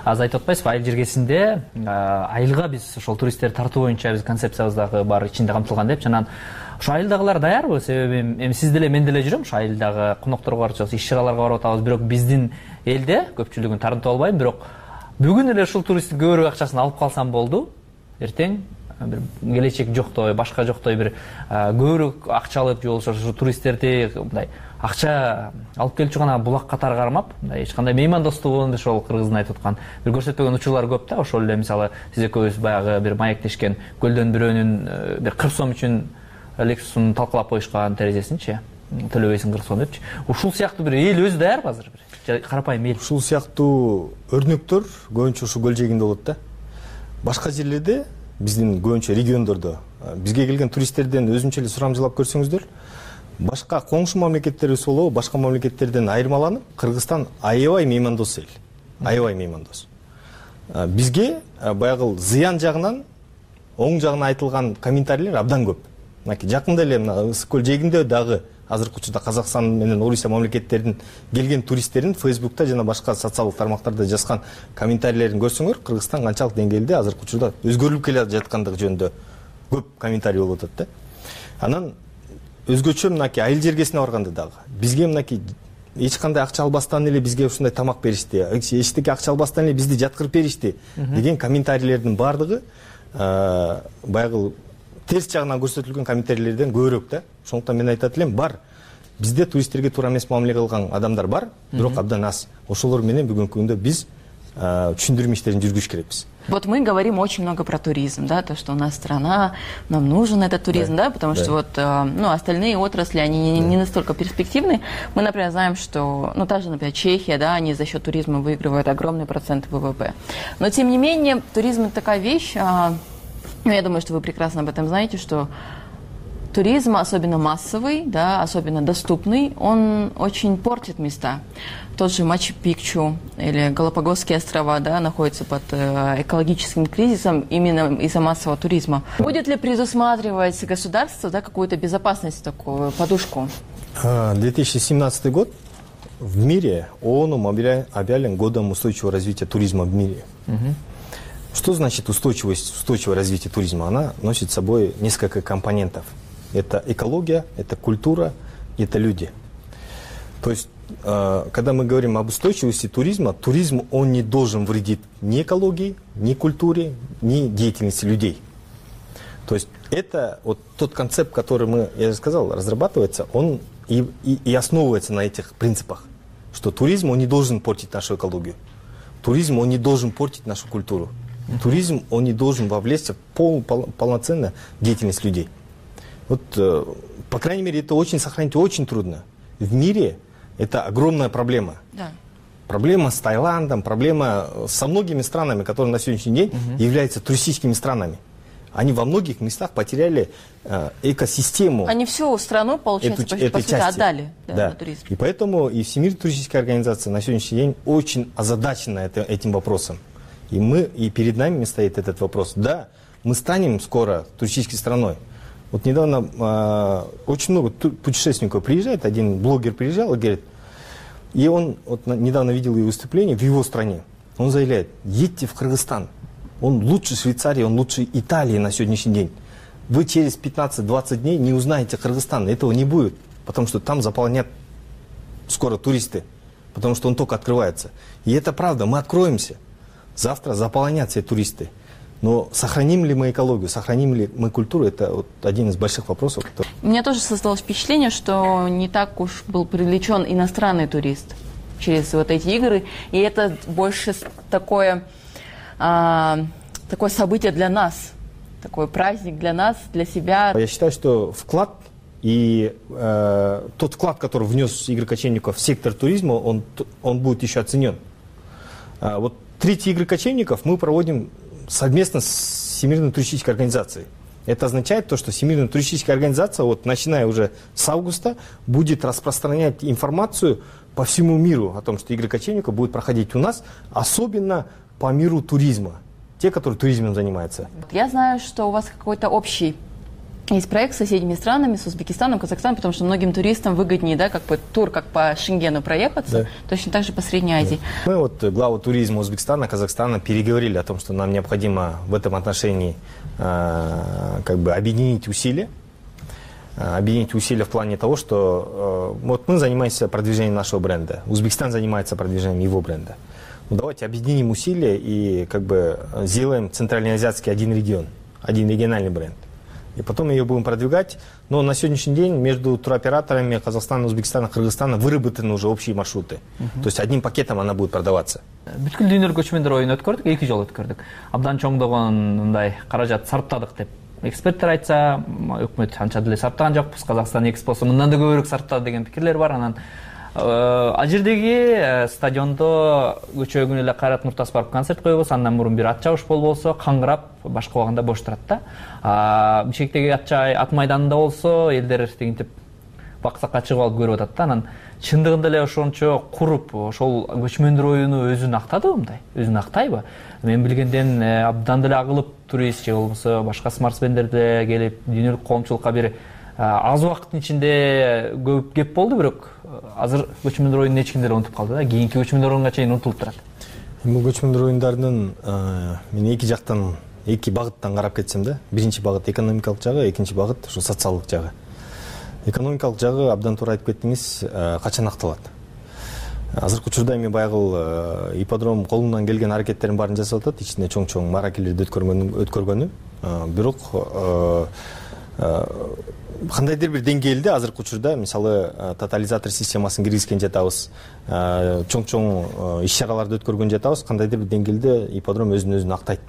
Азыр айтып атпайсызбы, айыл жергесинде айылга биз ошол туристтерди тартуу боюнча биз концепциябыздагы бар ичинде камтылган деп, жанагы ошо айылдагылар даярбы? Себеби эми сиз деле мен деле жүрөм, ошо айылдагы конокторго барып, иш чараларга барып атабыз, бирок биздин элде көпчүлүгүн тарынтып албайм, бирок бүгүн эле ушул туристтин көбүрөөк акчасын алып калсам болду, эртең бир келечек жоктой, башка жоктой бир көбүрөөк акча алып же болбосо ушу туристтерди мындай акча алып келчү гана булак катары кармап, мындай эч кандай меймандостугун ошол кыргыздын айтып аткан бир көрсөтпөгөн учурлар көп да. Ошол эле мисалы сиз экөөбүз баягы бир маектешкен көлдөн бирөөнүн бир кырк сом үчүн Lexus'ун талкалап коюшкан терезесинчи төлөбөйсүң кырк сом депчи. Ушул сыяктуу бир эл өзү даярбы азыр бир карапайым эл? Ушул сыяктуу өрнөктөр көбүнчө ушу көл жээгинде болот да. Башка жерлерде биздин көбүнчө региондордо бизге келген туристтерден өзүнчө эле сурамжылап көрсөңүздөр, башка коңшу мамлекеттерибиз болобу, башка мамлекеттерден айырмаланып, Кыргызстан аябай меймандос эл. Аябай меймандос. Бизге баягы зыян жагынан, оң жагынан айтылган комментарийлер абдан көп. Мынакей жакында эле мына Ысык көл жээгинде дагы азыркы учурда Казакстан менен Орусия мамлекеттеринин келген туристтерин Фейсбукта жана башка социалдык тармактарда жазган комментарийлерин көрсөңөр, Кыргызстан канчалык деңгээлде азыркы учурда өзгөрүлүп келе жаткандыгы жөнүндө көп комментарий болуп атат да. Анан өзгөчө мынакей айыл жергесине барганда дагы бизге мынакей эч кандай акча албастан эле бизге ушундай тамак беришти, эчтеке акча албастан эле бизди жаткырып беришти деген комментарийлердин баардыгы баягы терс жагынан көрсөтүлгөн комментарийлерден көбүрөөк да. Ошондуктан мен айтат элем, бар. Бизде туристтерге туура эмес мамиле кылган адамдар бар, бирок абдан аз. Ошолор менен бүгүнкү күндө биз түшүндүрмө иштерин жүргүзүш керекпиз. Вот мы говорим очень много про туризм, да, то, что у нас страна, нам нужен этот туризм, да, да потому да. что вот, ну, остальные отрасли, они да. не настолько перспективны. Мы, например, знаем, что, ну, та же, например, Чехия, да, они за счет туризма выигрывают огромный процент ВВП. Но, тем не менее, туризм — это такая вещь, ну, я думаю, что вы прекрасно об этом знаете, что туризм, особенно массовый, да, особенно доступный, он очень портит места. Тот же Мачу-Пикчу или Галапагосские острова, да, находятся под э, экологическим кризисом именно из-за массового туризма. Будет ли предусматривать государство, да, какую-то безопасность, такую подушку? две тысячи семнадцатый год в мире ООНом объявлен годом устойчивого развития туризма в мире. Угу. Что значит устойчивость, устойчивое развитие туризма? Она носит с собой несколько компонентов. Это экология, это культура, это люди. То есть, э, когда мы говорим об устойчивости туризма, туризм, он не должен вредить ни экологии, ни культуре, ни деятельности людей. То есть, это вот тот концепт, который мы, я же сказал, разрабатывается, он и, и, и основывается на этих принципах. Что туризм, он не должен портить нашу экологию. Туризм, он не должен портить нашу культуру. Туризм, он не должен вовлечься в пол, пол, полноценную деятельность людей. Вот, э, по крайней мере, это очень сохранить очень трудно. В мире это огромная проблема. Да. Проблема с Таиландом, проблема со многими странами, которые на сегодняшний день угу. являются туристическими странами. Они во многих местах потеряли э, экосистему. Они всю страну, получается, эту, по, по сути, отдали да, да. на туризм. И поэтому и Всемирная туристическая организация на сегодняшний день очень озадачена это, этим вопросом. И мы, и перед нами стоит этот вопрос. Да, мы станем скоро туристической страной. Вот недавно э, очень много путешественников приезжает, один блогер приезжал и говорит, и он вот, недавно видел его выступление в его стране. Он заявляет, едьте в Кыргызстан, он лучше Швейцарии, он лучше Италии на сегодняшний день. Вы через пятнадцать-двадцать дней не узнаете Кыргызстан, этого не будет, потому что там заполнят скоро туристы, потому что он только открывается. И это правда, мы откроемся. Завтра заполонятся туристы. Но сохраним ли мы экологию, сохраним ли мы культуру, это вот один из больших вопросов. Который... У меня тоже создалось впечатление, что не так уж был привлечен иностранный турист через вот эти игры. И это больше такое, а, такое событие для нас, такой праздник для нас, для себя. Я считаю, что вклад и э, тот вклад, который внес Игорь Кочевников в сектор туризма, он, он будет еще оценен. А, вот третий Игорь Кочевников мы проводим совместно с Всемирной туристической организацией. Это означает то, что Всемирная туристическая организация, вот, начиная уже с августа, будет распространять информацию по всему миру о том, что Игорь Кочевников будет проходить у нас, особенно по миру туризма, те, которые туризмом занимаются. Я знаю, что у вас какой-то общий есть проект с соседними странами, с Узбекистаном, Казахстаном, потому что многим туристам выгоднее, да, как бы тур, как по Шенгену проехаться, да. Точно так же по Средней Азии. Да. Мы вот главу туризма Узбекистана, Казахстана переговорили о том, что нам необходимо в этом отношении э, как бы объединить усилия, э, объединить усилия в плане того, что э, вот мы занимаемся продвижением нашего бренда, Узбекистан занимается продвижением его бренда. Ну, давайте объединим усилия и как бы сделаем центральноазиатский один регион. один региональный бренд. И потом ее будем продвигать. Но на сегодняшний день между туроператорами Казахстана, Узбекистана, Кыргызстана выработаны уже общие маршруты. То есть одним пакетом она будет продаваться. Бүткүл дүйнөлүк көчмөндөр оюн өткөрдүк, эки жолу өткөрдүк. Абдан чоңдогон мындай каражат сарптадык деп эксперттер айтса, өкмөт анча деле сарптаган жокпуз. Казакстан экспосу мындан да көбүрөөк сарптады деген пикирлер бар. Анан ал жердеги стадиондо көчө күнү эле Кайрат Нуртас барып концерт койбосо, андан мурун бир ат чабыш болбосо, каңгырап, башка убагында бош турат да. Бишкектеги ат ат майданында болсо, элдер тигинтип баксакка чыгып алып көрүп атат да. Анан чындыгында эле ошончо куруп, ошол көчмөндөр оюну өзүн актадыбы мындай? Өзүн актайбы? Мен билгенден абдан деле агылып турист же болбосо башка спортсмендер деле келип дүйнөлүк коомчулукка бир аз убакыттын ичинде көп кеп болду, бирок азыр көчмөндөр оюнун эч ким деле унутуп калды да. Кийинки көчмөндөр оюнга чейин унутулуп турат. Бул көчмөндөр оюндарынын мен эки жактан, эки багыттан карап кетсем да. Биринчи багыт экономикалык жагы, экинчи багыт ушу социалдык жагы. Экономикалык жагы абдан туура айтып кеттиңиз, качан акталат. Азыркы учурда эми баягыл ипподром колунан келген аракеттерин баарын жасап атат, ичинде чоң-чоң мааракелерди өткөргөнү. Бирок кандайдыр бир деңгээлде азыркы учурда мисалы тотализатор системасын киргизген жатабыз, чоң-чоң иш чараларды өткөргөн жатабыз, кандайдыр бир деңгээлде ипподром өзүн өзүн актайт.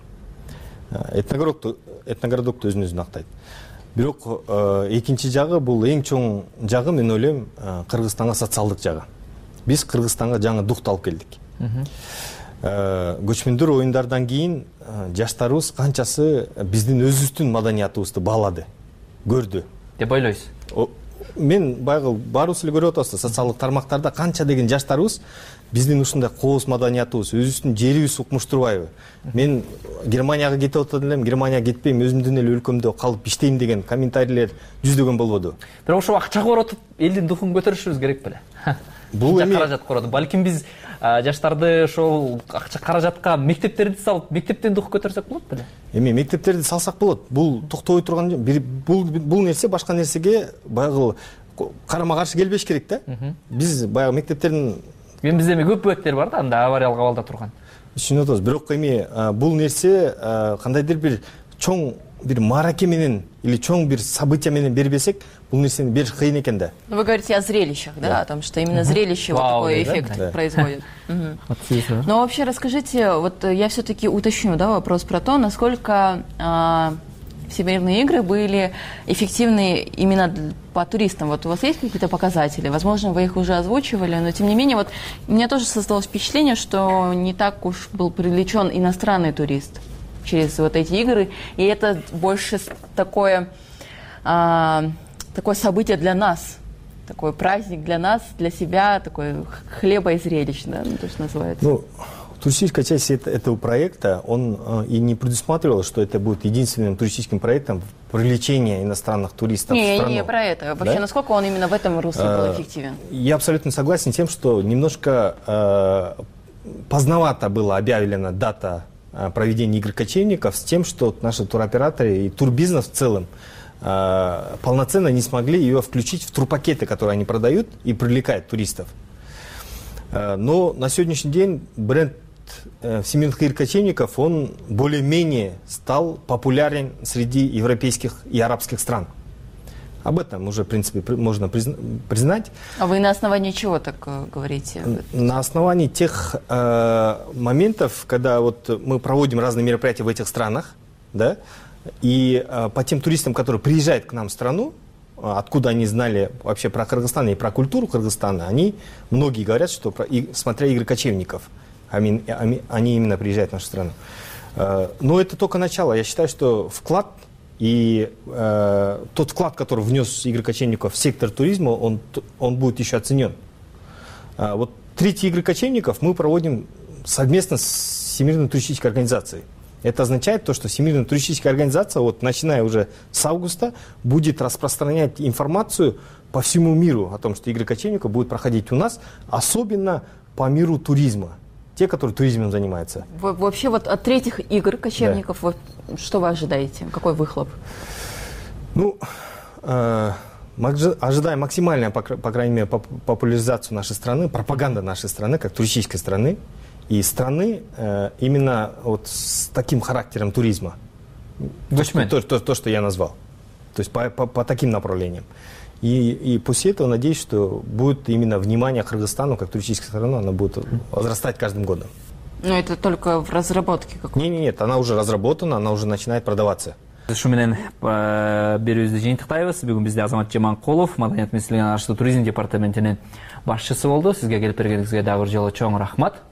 Этногородту этногородокту өзүн өзүн актайт. Бирок экинчи жагы, бул эң чоң жагы, мен ойлойм, Кыргызстанга социалдык жагы. Биз Кыргызстанга жаңы духты алып келдик. Көчмөндөр оюндардан кийин жаштарыбыз канчасы биздин өзүбүздүн маданиятыбызды баалады, көрдү деп ойлойсуз? Мен баягы баарыбыз эле көрүп атабыз, социалдык тармактарда канча деген жаштарыбыз биздин ушундай кооз маданиятыбыз, өзүбүздүн жерибиз укмуш турбайбы? Мен Германияга кетип атат элем, Германияга кетпейм, өзүмдүн эле өлкөмдө калып иштейм деген комментарийлер жүздөгөн болбоду. Бирок ошо акча коротуп, элдин духун көтөрүшүбүз керек беле? Бул эми каражат коротуп, балким биз жаштарды ошол акча каражатка мектептерди салып, мектептен дух көтөрсөк болот беле? Эми мектептерди салсак болот. Бул токтобой турган бул бул нерсе башка нерсеге баягы карама-каршы келбеш керек да. Биз баягы мектептердин Мен бизде эми көп бөбөктөр бар да, анда авариялык абалда турган. Түшүнүп атабыз. Бирок эми бул нерсе кандайдыр бир чоң бир маараке менен или чоң бир событие менен бербесек, бул нерсени бериш кыйын экен да. Вы говорите о зрелищах, да, о том, что именно зрелище вот такой эффект производит. Но вообще расскажите, вот я все-таки уточню, да, вопрос про то, насколько Всемирные игры были эффективны именно по туристам. Вот у вас есть какие-то показатели? Возможно, вы их уже озвучивали, но тем не менее, вот у меня тоже создалось впечатление, что не так уж был привлечен иностранный турист через вот эти игры, и это больше такое, а, такое событие для нас, такой праздник для нас, для себя, такой хлеба и зрелищ, да, ну, то, что называется. Ну, туристическая часть этого проекта, он э, и не предусматривал, что это будет единственным туристическим проектом привлечения иностранных туристов не, в страну. Не, не про это. Вообще, да? Насколько он именно в этом русле был эффективен? Я абсолютно согласен с тем, что немножко э, поздновато была объявлена дата проведения игр кочевников с тем, что наши туроператоры и турбизнес в целом э, полноценно не смогли ее включить в турпакеты, которые они продают и привлекают туристов. Э, но на сегодняшний день бренд э, всемирных игр кочевников, он более-менее стал популярен среди европейских и арабских стран. Об этом уже, в принципе, можно признать. А вы на основании чего так э, говорите? На основании тех э, моментов, когда вот мы проводим разные мероприятия в этих странах, да, и э, по тем туристам, которые приезжают к нам в страну, откуда они знали вообще про Кыргызстан и про культуру Кыргызстана, они, многие говорят, что про, и, смотря игры кочевников, они, они именно приезжают в нашу страну. Э, но это только начало. Я считаю, что вклад и э, тот вклад, который внес игры кочевников в сектор туризма, он, он будет еще оценен. А вот третьи игры кочевников мы проводим совместно с Всемирной туристической организацией. Это означает то, что Всемирная туристическая организация, вот, начиная уже с августа, будет распространять информацию по всему миру о том, что игры кочевников будут проходить у нас, особенно по миру туризма. Те, которые туризмом занимаются. Вообще вот от третьих игр кочевников, да. Вот, что вы ожидаете? Какой выхлоп? Ну, э, мы ожидаем максимальную, по, по крайней мере, популяризацию нашей страны, пропаганда нашей страны, как туристической страны, и страны э, именно вот с таким характером туризма. Көчмөн. То, то, то, что я назвал. То есть по, по, по таким направлениям. И, и после этого надеюсь, что будет именно внимание Кыргызстану как туристической стороны, она будет возрастать каждым годом. Но это только в разработке какой-то? Нет, нет, нет, она уже разработана, она уже начинает продаваться. Ушу менен берүүбүздү жыйынтыктайбыз. Бүгүн бизде Азамат Жаманкулов, Маданият министрлигинин аштуу туризм департаментинин башчысы болду. Сизге келип бергениңизге дагы бир жолу чоң рахмат.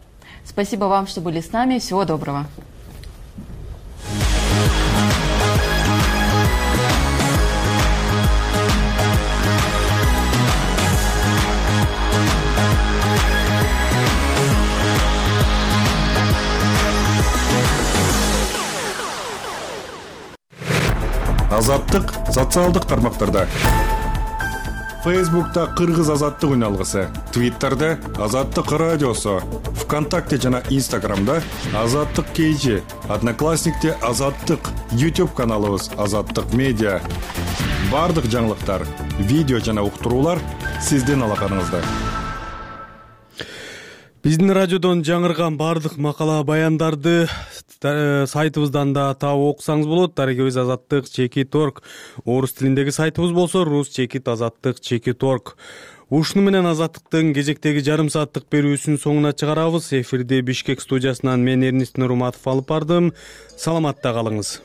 Спасибо вам, что были с нами. Всего доброго. Азаттык социалдык тармактарда. Фейсбукта Кыргыз азаттык үналгысы, Твиттерде Азаттык радиосу, ВКонтакте жана Инстаграмда Азаттык кейжи, Одноклассникте Азаттык, YouTube каналыбыз Азаттык медиа. Бардык жаңылыктар, видео жана уктуруулар сиздин алаканыңызда. Биздин радиодон жаңырган бардык макала баяндарды сайтыбыздан да таап окусаңыз болот. Дарегибиз Азаттык чекит орг. Орус тилиндеги сайтыбыз болсо рус чекит азаттык чекит орг. Ушуну менен Азаттыктын кезектеги жарым сааттык берүүсүн соңуна чыгарабыз. Эфирди Бишкек студиясынан мен Эрнис Нурматов алып бардым. Саламатта калыңыз.